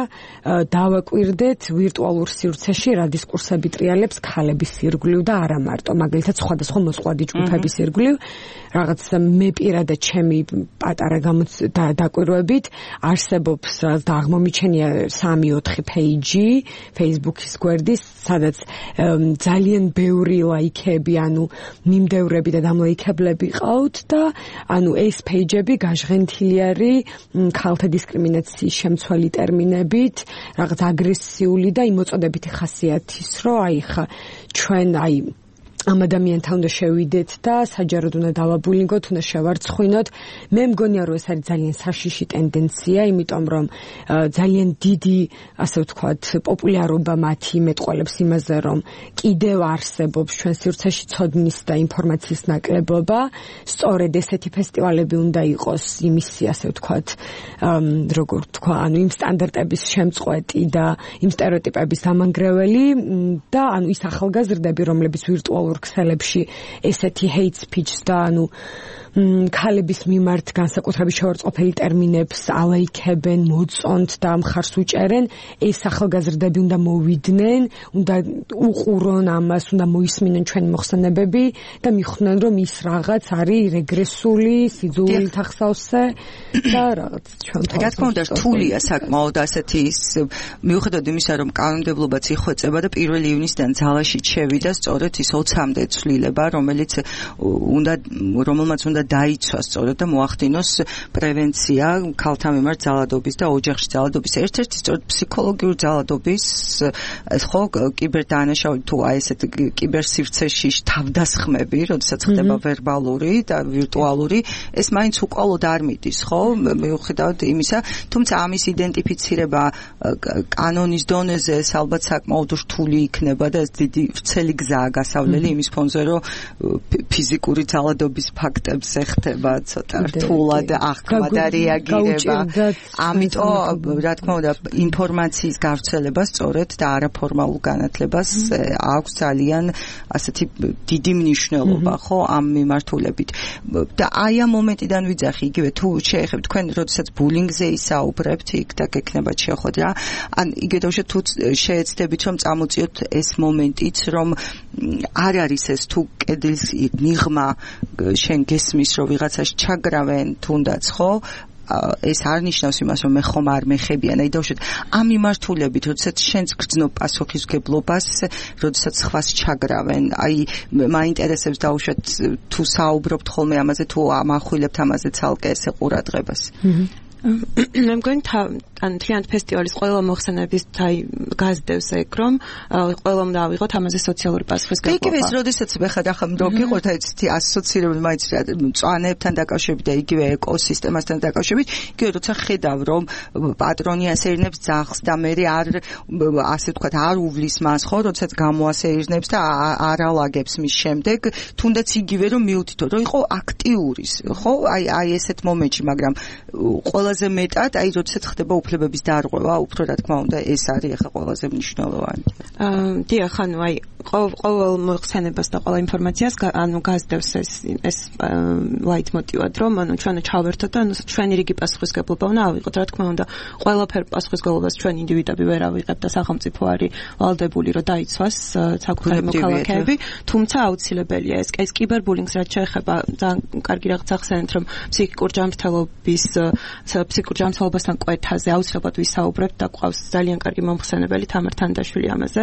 F: დავაკვირდეთ ვირტუალურ სივრცეში რა დისკურსები ტრიალებს ქალების ირგვლივ და არა მარტო, მაგალითად სხვადასხვა მოსყვა ჯგუფების ირგვლივ. რაღაც მე პირადად ჩემი პატარა დაკვირვებით არსებობს და აღმომიჩენია სამი ოთხი პეიჯი Facebook-ის გვერდის, სადაც ძალიან ბევრი ლაიქები, ანუ მიმდევრები და დამლაიქებლები ყავთ და ანუ ეს პეიჯები გაჟღენთილი არის ქალთა დისკრიმინაციის შემცველი ტერმინებით, რაღაც აგრესიული და იმოწოდებითი ხასიათის, რომ აი ხა ჩვენ აი ამ ადამიანთან უნდა შევიდეთ და საჯაროდ უნდა დავაბულინგოთ, უნდა შევარცხვინოთ. მე მგონია, რომ ეს არის ძალიან საშიში ტენდენცია, იმიტომ რომ ძალიან დიდი, ასე ვთქვათ, პოპულარობა მათი მეტყველებს იმაზე, რომ კიდევ არსებობს ჩვენ სივრცეში ცოდნის და ინფორმაციის ნაკლებობა. სწორედ ესეთი ფესტივალები უნდა იყოს იმისი, ასე ვთქვათ, როგორ ვთქვა, ანუ იმ სტანდარტების შემწყვეტი და იმ სტერეოტიპების დამანგრეველი და ანუ ის ახალგაზრდები, რომლებიც ვირტუალურ ქსელებში ესეთი hate speech და ანუ ქალების მიმართ განსაკუთრებით შევარწყყოფელი ტერმინებს ალაიქებენ, მოწონთ და მხარს უჭერენ, ეს ახალგაზრდები უნდა მოვიდნენ, უნდა უყურონ ამას, უნდა მოისმინონ ჩვენი მოხსენებები და მიხვდნენ, რომ ის რაღაც არის რეგრესული, სიძულვილით ახსავსე და რაღაც ჩვენ
C: რა თქმა უნდა რთულია საკმაოდ ასეთი ის მიუხედავად იმისა, რომ კანონმდებლობაც იხვეწება და პირველი ივნისიდან ძალაში შევიდა სწორედ ის ოცამდე ცვლილება, რომელიც უნდა რომელმაც უნდა დაიცვა სწორედ და მოახდინოს პრევენცია ქალთა მიმართ ძალადობის და ოჯახში ძალადობის, ერთ-ერთი სწორედ ფსიქოლოგიური ძალადობის, ხო, კიბერდანაშაული თუ აი ესეთ კიბერსივრცეში თავდასხმები, როდესაც ხდება ვერბალური და ვირტუალური, ეს მაინც უკვალოდ არ მიდის, ხო, მიუხედავად იმისა, თუმცა ამის იდენტიფიცირება კანონის დონეზე ეს ალბათ საკმაოდ რთული იქნება და ეს დიდი ვრცელი გზაა გასავლელი იმის ფონზე, რომ ფიზიკური ძალადობის ფაქტებს ეხება ცოტა რთულად აღქმა და რეაგირება. ამიტომ რა თქმა უნდა ინფორმაციის გავრცელება სწორედ და არაფორმალურ განათლებას აქვს ძალიან ასეთი დიდი მნიშვნელობა, ხო, ამ მიმართულებით. და აი ამ მომენტიდან ვიძახი იგივე თუ შეეხებთ თქვენ როდესაც ბულინგზე ისაუბრებთ იქ და გექნებათ შეხვედრა, ან იგივე თუ შეეცდებით რომ წამოწიოთ ეს მომენტიც, რომ არ არის ეს თუ კედლის მიღმა შენ გესმის რომ ვიღაცას ჩაგრავენ თუნდაც, ხო, ეს არ ნიშნავს იმას, რომ მე ხომ არ მეხებიან. აი დავუშვათ ამ მიმართულებით, როდესაც შენც გრძნობ პასუხისმგებლობას, როდესაც სხვას ჩაგრავენ, აი მაინტერესებს დავუშვათ თუ საუბრობთ ხოლმე ამაზე, თუ ამახვილებთ ამაზე ცალკე ესე ყურადღებას.
E: მე მგონი ან თლიანად ფესტივალის ყველა მოხსენების თაი გაზდევს ეგ, რომ ყველამ დავიღოთ ამაზე სოციალური პასუხისმგებლობა.
C: იგივე ეს როდესაც ხარ ახლა მოგიყოთ აი ცეთი ასოცირებული მაინც მწვანეებთან დაკავშირებით და იგივე ეკოსისტემასთან დაკავშირებით, იგივე როცა ხედავ რომ პატრონი ასეირნებს ძაღლს და მე არ ასე ვთქვათ არ უვლის მას, ხო, როდესაც გამოასეირნებს და არ ალაგებს მის შემდეგ, თუნდაც იგივე რომ მიუთითო, რომ იყო აქტიური, ხო, აი აი ესეთ მომენტში, მაგრამ ყველაზე მეტად აი როდესაც ხდება უფლებების დარღვევა, უფრო რა თქმა უნდა ეს არის ახლა ყველაზე მნიშვნელოვანი.
E: აა დიახ, ანუ აი ყოველ მოხსენებას და ყოველ ინფორმაციას ანუ გაზდევს ეს ეს ლაიტმოტივად, რომ ანუ ჩვენ ჩავერთოთ და ანუ ჩვენი რიგი პასუხისმგებლობა უნდა ავიღოთ, რა თქმა უნდა ყველაფერ პასუხისმგებლობას ჩვენ ინდივიდები ვერ ავიღებთ და სახელმწიფო არის ვალდებული რომ დაიცვას საკუთარი მოქალაქეები, თუმცა აუცილებელია ეს ეს კიბერბულინგს რაც შეეხება ძალიან კარგი რაღაც ახსენეთ, რომ ფსიქიკურ ჯანმრთელობის ფსიქიკურ ჯანმრთელობასთან კვეთაზე აუცილებლად ვისაუბრებთ და ყავს ძალიან კარგი მომხსენებელი თამარ თანდაშვილი ამაზე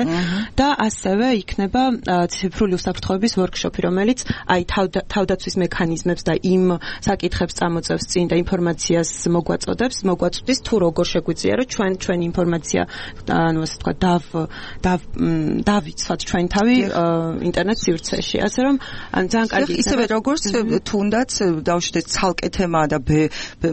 E: და ასევე იქნება ციფრული უსაფრთხოების ვორქშოპი, რომელიც აი თავდაცვის მექანიზმებს და იმ საკითხებს წამოწევს წინ და ინფორმაციას მოგვაწოდებს, მოგვაწვდის თუ როგორ შეგვიძლია რომ ჩვენ ჩვენი ინფორმაცია ანუ ასე თქვა დავ დავიცვათ ჩვენ თავი ინტერნეტ სივრცეში, ასე რომ ან ძალიან კარგი
C: ისევე როგორც თუნდაც დავშვით ცალკე თემაა და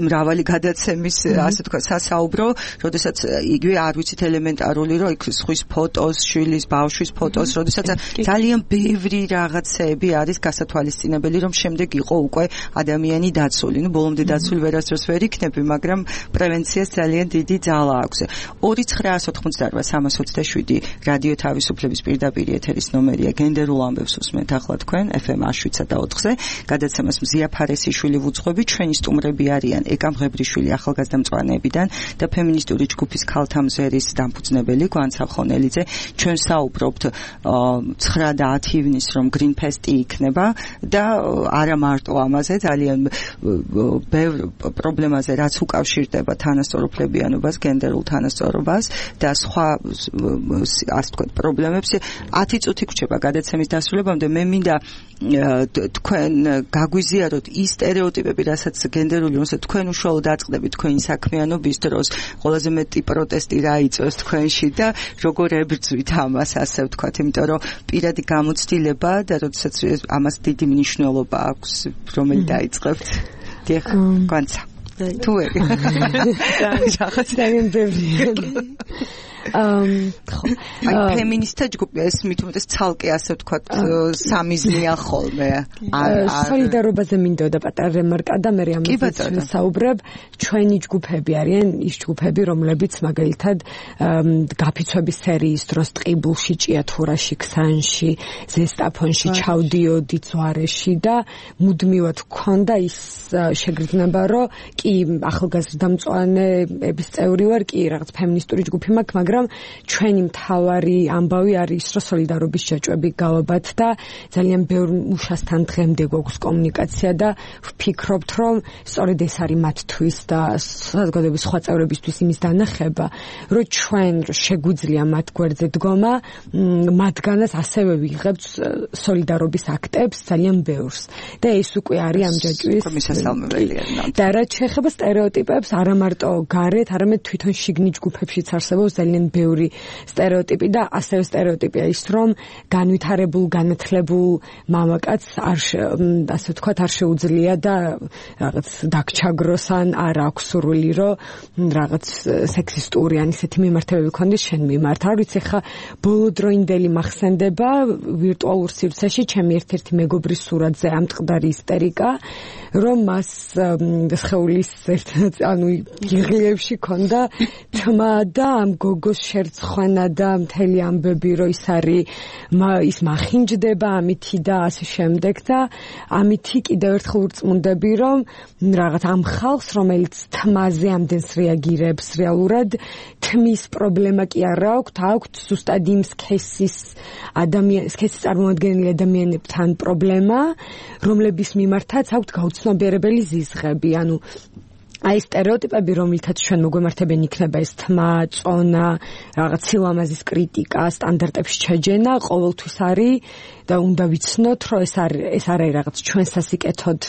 C: მრავალი გადაცემის ასე თქვა სასაუბრო ვსაუბრო, როდესაც იგივე არ ვიცით ელემენტარული, რომ იქ სხვის ფოტოს, შვილის, ბავშვის ფოტოს, როდესაც ძალიან ბევრი რაღაცები არის გასათვალისწინებელი, რომ შემდეგ იყო უკვე ადამიანი დაცული. ნუ ბოლომდე დაცული ვერასდროს ვერ იქნები, მაგრამ პრევენციას ძალიან დიდი ძალა აქვს. ორი ცხრა ოთხმოცდაოთხ სამას ოცდაშვიდი რადიო თავისუფლების პირდაპირ ეთერის ნომერია. გენდერულ ამბებს უსმენთ ახლა თქვენ ეფ ემ შვიდ და ოთხზე. გადაცემას მზია ფარესიშვილი ვუძღვები, ჩვენი სტუმრები არიან ეკა მღებრიშვილი ახალგაზრდა მწვანეებიდან და ფემინისტური ჯგუფის ქალთა მზერის დამფუძნებელი გვან საფხონელიძე. ჩვენ საუბრობთ ცხრა და ათი ივნის რომ გრინ ფესტი იქნება და არა მარტო ამაზე, ძალიან ბევრ პრობლემაზე, რაც უკავშირდება თანასწორუფლებიანობას, გენდერულ თანასწორობას და სხვა ასე ვთქვათ პრობლემებს. ათი წუთი გვჭირდება გადაცემის დასრულებამდე. მე მინდა თქვენ გაგვიზიაროთ ის სტერეოტიპები, რასაც გენდერული, რომელსაც თქვენ უშუალოდ დაწყდებით თქვენი საქმიანობის დროს, ყველაზე მეტი პროტესტი რა იწვევს თქვენში და როგორ ებრძვით ამას, ასე ვთქვათ, იმიტომ რომ პირადი გამოცდილება და როდესაც ამას დიდი მნიშვნელობა აქვს, რომელი დაიწყებთ. დიახ, განცა. თუ ერი.
F: ძალიან ბევრი.
C: ხო, აი ფემინისტთა ჯგუფი ეს მით უმეტეს ცალკე ასე ვთქვათ სამიზნეა ხოლმე.
F: სოლიდარობაზე მინდოდა პატარა რემარკა და მე ამაზე საუბრებ. ჩვენი ჯგუფები არიან ის ჯგუფები, რომლებიც მაგალითად გაფიცვების სერიის დროს ტყიბულში, ჭიათურაში, ქსანში, ზესტაფონში ჩავდიოდი ზვარეში და მუდმივად გქონდა ის შეგრძნება, რომ კი ახალგაზრდა მწვანეების წევრი ვარ, კი რაღაც ფემინისტური ჯგუფი მაქვს, მაგრამ ჩვენი მთავარი ამბავი არის რომ სოლიდარობის ჯაჭვები გავაბათ და ძალიან ბევრ მუშასთან დღემდე გვაქვს კომუნიკაცია და ვფიქრობთ რომ სწორედ ეს არის მათთვის და საზოგადოების სხვა წევრებისთვის იმის დანახება რომ ჩვენ შეგვიძლია მათ გვერდზე დგომა მათგანაც ასევე ვიღებთ სოლიდარობის აქტებს ძალიან ბევრს და ეს უკვე არის ამ ჯაჭვის
C: მისასალმებელია
F: და რაც შეეხება სტერეოტიპებს არა მარტო გარეთ არამედ თვითონ შიგნით ჯგუფებშიც არსებობს ძალიან ბევრი სტერეოტიპი და ასევე სტერეოტიპია ის რომ განვითარებულ განათლებულ მამაკაცს არ ასე ვთქვათ არ შეუძლია და რაღაც დაგჩაგროს ან არ აქვს სურვილი რომ რაღაც სექსისტური ან ისეთი მიმართებები ქონდეს შენ მიმართ არ ვიცი ხა ბოლოდროინდელი მახსენდება ვირტუალურ სივრცეში ჩემი ერთ-ერთი მეგობრის სურათზე ამ ტყდარი ისტერიკა რომ მას სხეულის ერთ ანუ იღლიებში ქონდა თმა და ამ გოგოს შერცხვენა და მთელი ამბები რომ ის არის ის მახინჯდება ამითი და ასე შემდეგ და ამითი კიდევ ერთხელ ვწმუნდები რომ რაღაც ამ ხალხს რომელიც თმაზე ამდენს რეაგირებს რეალურად თმის პრობლემა კი არა აქვს აქვს ზუსტად იმ სქესის ადამიანის სქესის წარმოადგენელი ადამიანებთან პრობლემა რომლების მიმართაც აქვს გაუცნობიერებელი ზიზღები ანუ აი სტერეოტიპები რომელთაც ჩვენ მოგვემართებენ იქნება ეს თმა, წონა, რაღაც სილამაზის კრიტიკა, სტანდარტებს შეჯენა ყოველთვის არის და უნდა ვიცნოთ რომ ეს არის ეს არის რაღაც ჩვენ სასიკეთოდ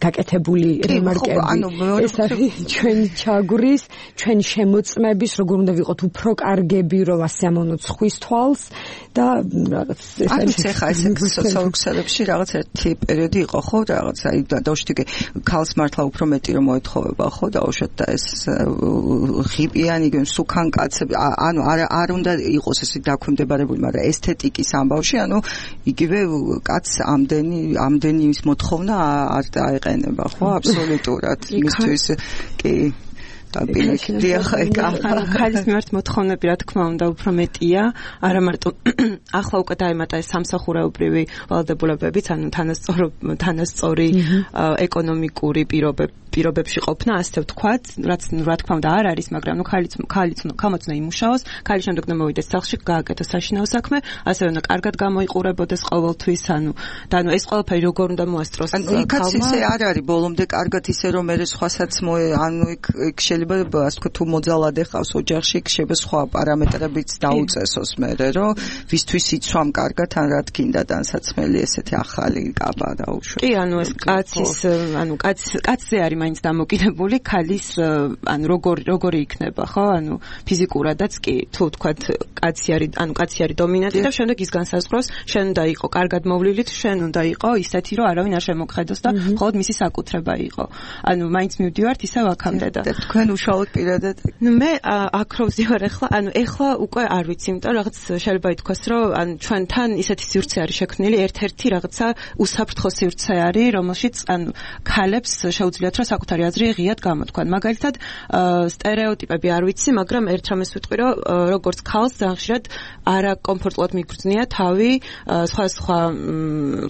F: გაკეთებული რემარკები ეს არის ჩვენი ჩაგურის ჩვენი შემოწმების როგორ უნდა ვიყოთ უფრო კარგები რომ ასე ამოვნოთ ხვის თვალს და რაღაც
C: ეს არის ახლა ეს სოციალურებში რაღაც ერთი პერიოდი იყო ხო რაღაც აი დაუშვით ქალს მართლა უფრო მეტი რომ მოეთხოვება ხო დაუშვით და ეს ღიპიანი სუქან კაცები ანუ არ არ უნდა იყოს ესე დაქვემდებარებული მაგრამ ესთეტიკის ამბავში ანუ იგი კაც ამდენი ამდენი ის მოთხოვნა არ დაეყენება ხო აბსოლუტურად მისთვის კი
E: ხალის მიმართ მოთხოვნები რა თქმა უნდა უფრო მეტია არა მარტო ახლა უკვე დაემატა ეს სამსახურეობრივი ვალდებულებებიც ანუ თანასწორი თანასწორი ეკონომიკური პირობები პირობებში ყოფნა ასე ვთქვათ რაც რა თქმა უნდა არ არის მაგრამ ნუ ხალიც ხალიც ხამოც უნდა იმუშაოს ხალი შემდეგ უნდა მოვიდეს სახლში გააკეთოს საშინაო საქმე ასევე უნდა კარგად გამოიყურებოდეს ყოველთვის ანუ და ანუ ეს ყველაფერი როგორ უნდა მოასწროს
C: ანუ იქაც ისე არ არის ბოლომდე კარგად ისე რომ მე სხვასაც ანუ იქ იქ შეიძლება ასე ვთქვათ თუ მოძალადე ხავს ოჯახში იქ შეიძლება სხვა პარამეტრებიც დაუწესოს მე რომ ვისთვის იცვამ კარგად ან რა თქინდა დანსაცმელი ესეთი ახალი კაბა დაუშვა
E: კი ანუ ეს კაცის ანუ კაც კაცზე არის მაინც დამოკიდებული ქალის ანუ როგორ როგორი იქნება ხო ანუ ფიზიკურადაც კი თუ ვთქვათ კაცი არის ანუ კაცი არის დომინანტი და შემდეგ ის განსაზღვროს შენ უნდა იყო კარგად მოვლილით შენ უნდა იყო ისეთი რომ არავინ არ შემოგხედოს და მხოლოდ მისი საკუთრება იყო ანუ მაინც მივდივართ ისევ აქამდე და
C: თქვენ თქვენ უშუალოდ პირადად?
E: ნუ მე აქ რო ვზივარ ახლა, ანუ ახლა უკვე არ ვიცი, იმიტომ რომ რაღაც შეიძლება ითქვას, რომ ანუ ჩვენთან ისეთი სივრცე არის შექმნილი, ერთ-ერთი რაღაცა უსაფრთხო სივრცე არის, რომელშიც ანუ ქალებს შეუძლიათ რომ საკუთარი აზრი ღიად გამოთქვან. მაგალითად, სტერეოტიპები არ ვიცი, მაგრამ ერთ რამეს ვიტყვი, რომ როგორც ქალს ძალიან ხშირად არაკომფორტულად მიგრძნია თავი სხვა სხვა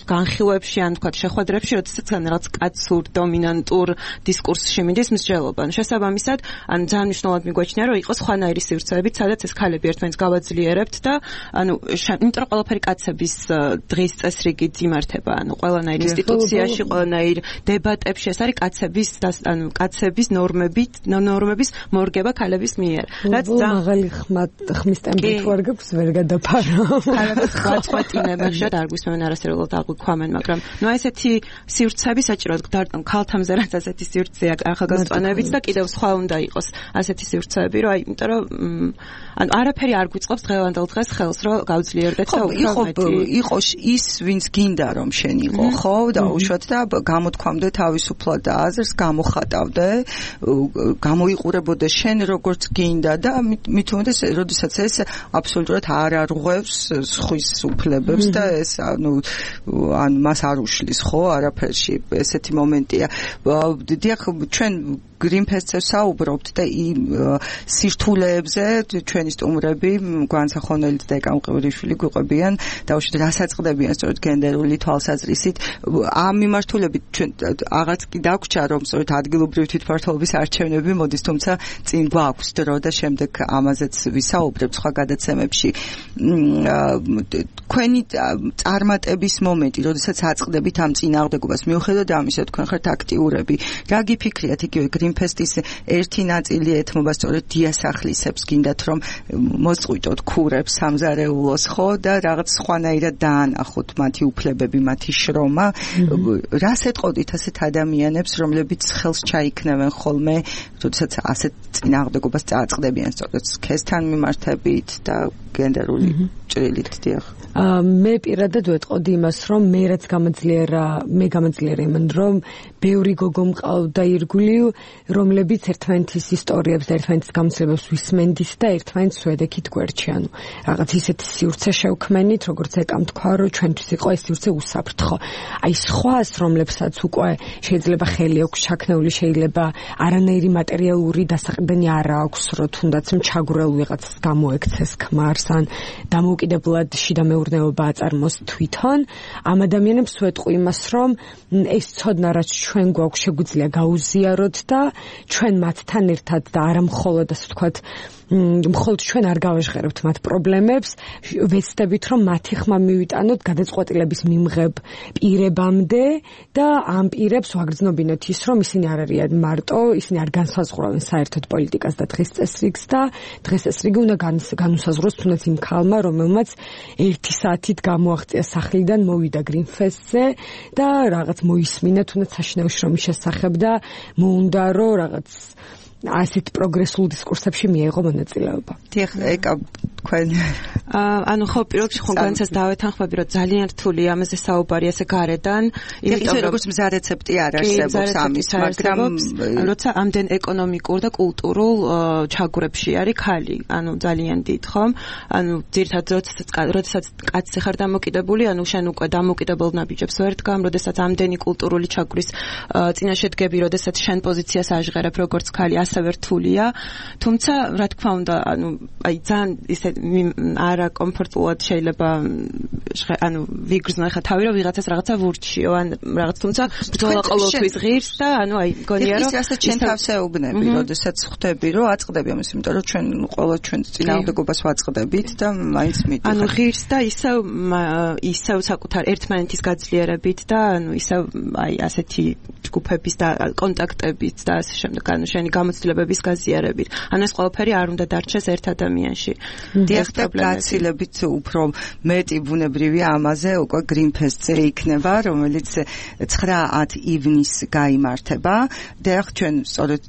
E: განხილვებში ან თქვა შეხვედრებში, როდესაც რაღაც კაცურ დომინანტურ დისკურსში მიდის მსჯელობა. შესაბამისად, ან ძალიან მნიშვნელოვნად მიგვაჩნია, რომ იყოს სხვანაირი სივრცეები, სადაც ეს ქალები ერთმანეთს გავაძლიერებთ და ანუ იმიტომ რომ ყველაფერი კაცების დღის წესრიგით იმართება, ანუ ყველანაირ ინსტიტუციაში, ყველანაირ დებატებში ეს არის კაცების ანუ კაცების ნორმებით, ნორმების მორგება ქალების მიერ.
F: რაც მაღალი ხმის ტემპით ვარ გაქვს ვერ გადაფარო.
E: ქალებს გაწყეთინება ხშირად არ გვისმენ არასერულად აღვიქვამენ, მაგრამ ნუ ესეთი სივრცეები საჭიროა დარტყმ ქალთამზე რაც ასეთი სივრცეა ახალგაზრდანებიც და კიდევ სხვა უნდა იყოს ასეთი სივრცეები, რომ აი, იმიტომ რომ ანუ არაფერი არ გვიწყობს დღევანდელ დღეს ხელს, რომ გავძლიერდეთ და უფრო მეტი
C: იყოს ის, ვინც გინდა რომ შენ იყო, ხო, და უშოთ და გამოთქვამდე თავისუფლად და აზრს გამოხატავდე, გამოიყურებოდე შენ როგორც გინდა და მით უმეტეს, როდესაც ეს აბსოლუტურად არ არღვევს სხვის უფლებებს და ეს ანუ ან მას არ უშლის, ხო, არაფერში ესეთი მომენტია. დიახ, ჩვენ გრინფესტზე საუბრობთ და იმ სირთულეებზე ჩვენი სტუმრები განსახონელით და ეკამყევლიშვილი გვიყვებიან და უშუალოდ რასაწყდებიან სწორედ გენდერული თვალსაზრისით. ამ მიმართულებით ჩვენ აღარც კი დაგვრჩა რომ სწორედ ადგილობრივი თვითმმართველობის არჩევნები მოდის, თუმცა წინ გვაქვს დრო და შემდეგ ამაზეც ვისაუბრებთ სხვა გადაცემებში. თქვენი წარმატების მომენტი, როდესაც აწყდებით ამ წინააღმდეგობას, მიუხედავად ამისა, თქვენ ხართ აქტიურები. რა გიფიქრიათ იგივე გრინფესტის ერთი ნაწილი ეთმობა სწორედ დიასახლისებს, გინდათ რომ მოსწყვიტოთ ქურებს სამზარეულოს, ხო, და რაღაც სხვანაირად დაანახოთ მათი უფლებები, მათი შრომა. რას ეტყოდით ასეთ ადამიანებს, რომლებიც ხელს ჩაიქნევენ ხოლმე, როდესაც ასეთ წინააღმდეგობას წააწყდებიან სწორედ სქესთან მიმართებით და გენდერული ჭრილით, დიახ.
F: მე პირადად ვეტყოდი იმას, რომ მე რაც გამაძლიერა, მე გამაძლიერა იმან, რომ ბევრი გოგო მყავდა ირგვლივ, რომლებიც ერთმანეთის ისტორიებს და ერთმანეთის გამოცდილებებს ვისმენდით და ერთმანეთს ვედექით გვერდში, ანუ რაღაც ისეთი სივრცე შევქმენით, როგორც ეკამ თქვა, რომ ჩვენთვის იყო ეს სივრცე უსაფრთხო. აი სხვას, რომლებსაც უკვე შეიძლება ხელი აქვს ჩაქნეული, შეიძლება არანაირი მატერიალური დასაყრდენი არ აქვს, რომ თუნდაც მჩაგვრელ ვიღაცას გამოექცეს ქმარს ან დამოუკიდებლად შიდა მეურნეობა აწარმოს თვითონ. ამ ადამიანებს ვეტყვი იმას, რომ ეს ცოდნა რაც ჩვენ გვაქვს შეგვიძლია გაუზიაროთ და ჩვენ მათთან ერთად და არა მხოლოდ ასე ვთქვათ მხოლოდ ჩვენ არ გავაჟღერებთ მათ პრობლემებს, ვეცდებით რომ მათი ხმა მივიტანოთ გადაწყვეტილების მიმღებ პირებამდე და ამ პირებს ვაგრძნობინოთ ის, რომ ისინი არ არიან მარტო, ისინი არ განსაზღვრავენ საერთოდ პოლიტიკას და დღის წესრიგს და დღის წესრიგი უნდა განუსაზღვროს თუნდაც იმ ქალმა, რომელმაც ერთი საათით გამოაღწია სახლიდან, მოვიდა გრინფესტზე და რაღაც მოისმინა თუნდაც საშინაო შრომის შესახებ და მოუნდა რომ რაღაც ასეთ პროგრესულ დისკურსებში მიიღო მონაწილეობა.
C: დიახ, ეკა თქვენ
E: ანუ ხო პირველ რიგში ხონგანცას დავეთანხმები, რომ ძალიან რთულია ამაზე საუბარი ესე გარედან,
C: იმიტომ რომ როგორც მზა რეცეპტი არ არსებობს ამის, მაგრამ
E: როცა ამდენ ეკონომიკურ და კულტურულ ჩაგვრებში არის ქალი, ანუ ძალიან დიდ, ხომ? ანუ ძირითადად როდესაც კაცი ხარ დამოკიდებული, ანუ შენ უკვე დამოკიდებელ ნაბიჯებს ვერ დგამ, როდესაც ამდენი კულტურული ჩაგვრის წინაშე დგები, როდესაც შენ პოზიციას აღიღებ როგორც ქალი, ასევე რთულია. თუმცა, რა თქმა უნდა, ანუ აი ძალიან ისე არა კომფორტულად შეიძლება ანუ ვიგრძნო ხა თავი რომ ვიღაცას რაღაცა ვურჩიო ან რაღაც, თუმცა ბრძოლა ყოველთვის ღირს და ანუ აი გონია რომ
C: ის რასაც ჩვენ თავს ეუბნები, როდესაც ხვდები რომ აწყდები ამას, იმიტომ რომ ჩვენ ყველა ჩვენ წინააღმდეგობას ვაწყდებით და მაინც მიდიხარ.
E: ანუ ღირს და ისევ ისევ საკუთარ ერთმანეთის გაძლიერებით და ანუ ისევ აი ასეთი ჯგუფების და კონტაქტებით და ასე შემდეგ, ანუ შენი გამოცდილებების გაზიარებით. ანუ ეს ყველაფერი არ უნდა დარჩეს ერთ ადამიანში.
C: დიახ, და გაცილებით უფრო მეტი ბუნებრივი ამაზე უკვე გრინფესტზე იქნება, რომელიც ცხრა ათი ივნისს გაიმართება. დიახ, ჩვენ სწორედ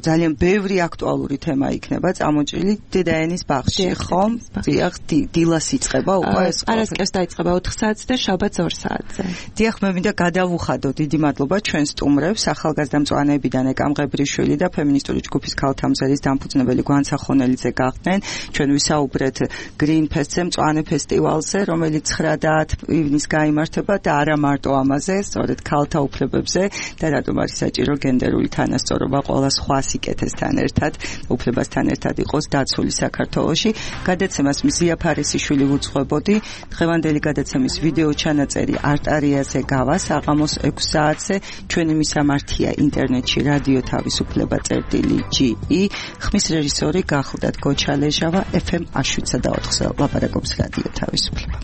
C: ძალიან ბევრი აქტუალური თემა იქნება წამოჭრილი დედაენის ბაღში, ხომ? დიახ, დილას იწყება უკვე ეს.
E: არასკევს დაიწყება ოთხ საათზე და შაბათს ორ საათზე.
C: დიახ, მე მინდა გადავუხადო დიდი მადლობა ჩვენ სტუმრებს, ახალგაზრდა მწვანეებიდან ეკამ ღებრიშვილი და ფემინისტური ფემინისტური ჯგუფის ქალთამზერის დამფუძნებელი გვანცა ხონელიძე გახდნენ. ჩვენ ვისაუბრეთ Green Fest-ზე, მწვანე ფესტივალზე, რომელიც ცხრა და ათი ივნის გაიმართება და არა მარტო ამაზე, სწორედ ქალთა უფლებებზე და რატომ არის საჭირო გენდერული თანასწორობა ყველა სხვა სიკეთესთან ერთად, უფლებასთან ერთად იყოს დაცული საქართველოში. გადაცემას მზია ფარისიშვილი უძღვებოდი. დღევანდელი გადაცემის ვიდეო ჩანაწერი არტარიაზე გავა საღამოს ექვს საათზე. ჩვენი მისამართია ინტერნეტში რადიო თავისუფლება წერტილი ჯი ი. ხმის რეჟისორი გახლდათ გოჩალეჟავა. ეფ ემ შვიდსა და ოთხზე ლაპარაკობს რადიო თავისუფლება.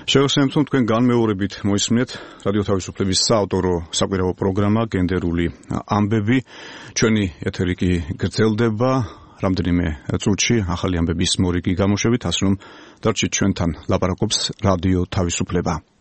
B: შევასრულებთ თქვენ განმეორებით მოისმენთ რადიო თავისუფლების საავტორო საკვირაო პროგრამა გენდერული ამბები. ჩვენი ეთერი კი გრძელდება რამდენიმე წუთში ახალი ამბების მორიგი გამოშვებით, ასე რომ დარჩით ჩვენთან, ლაპარაკობს რადიო თავისუფლება.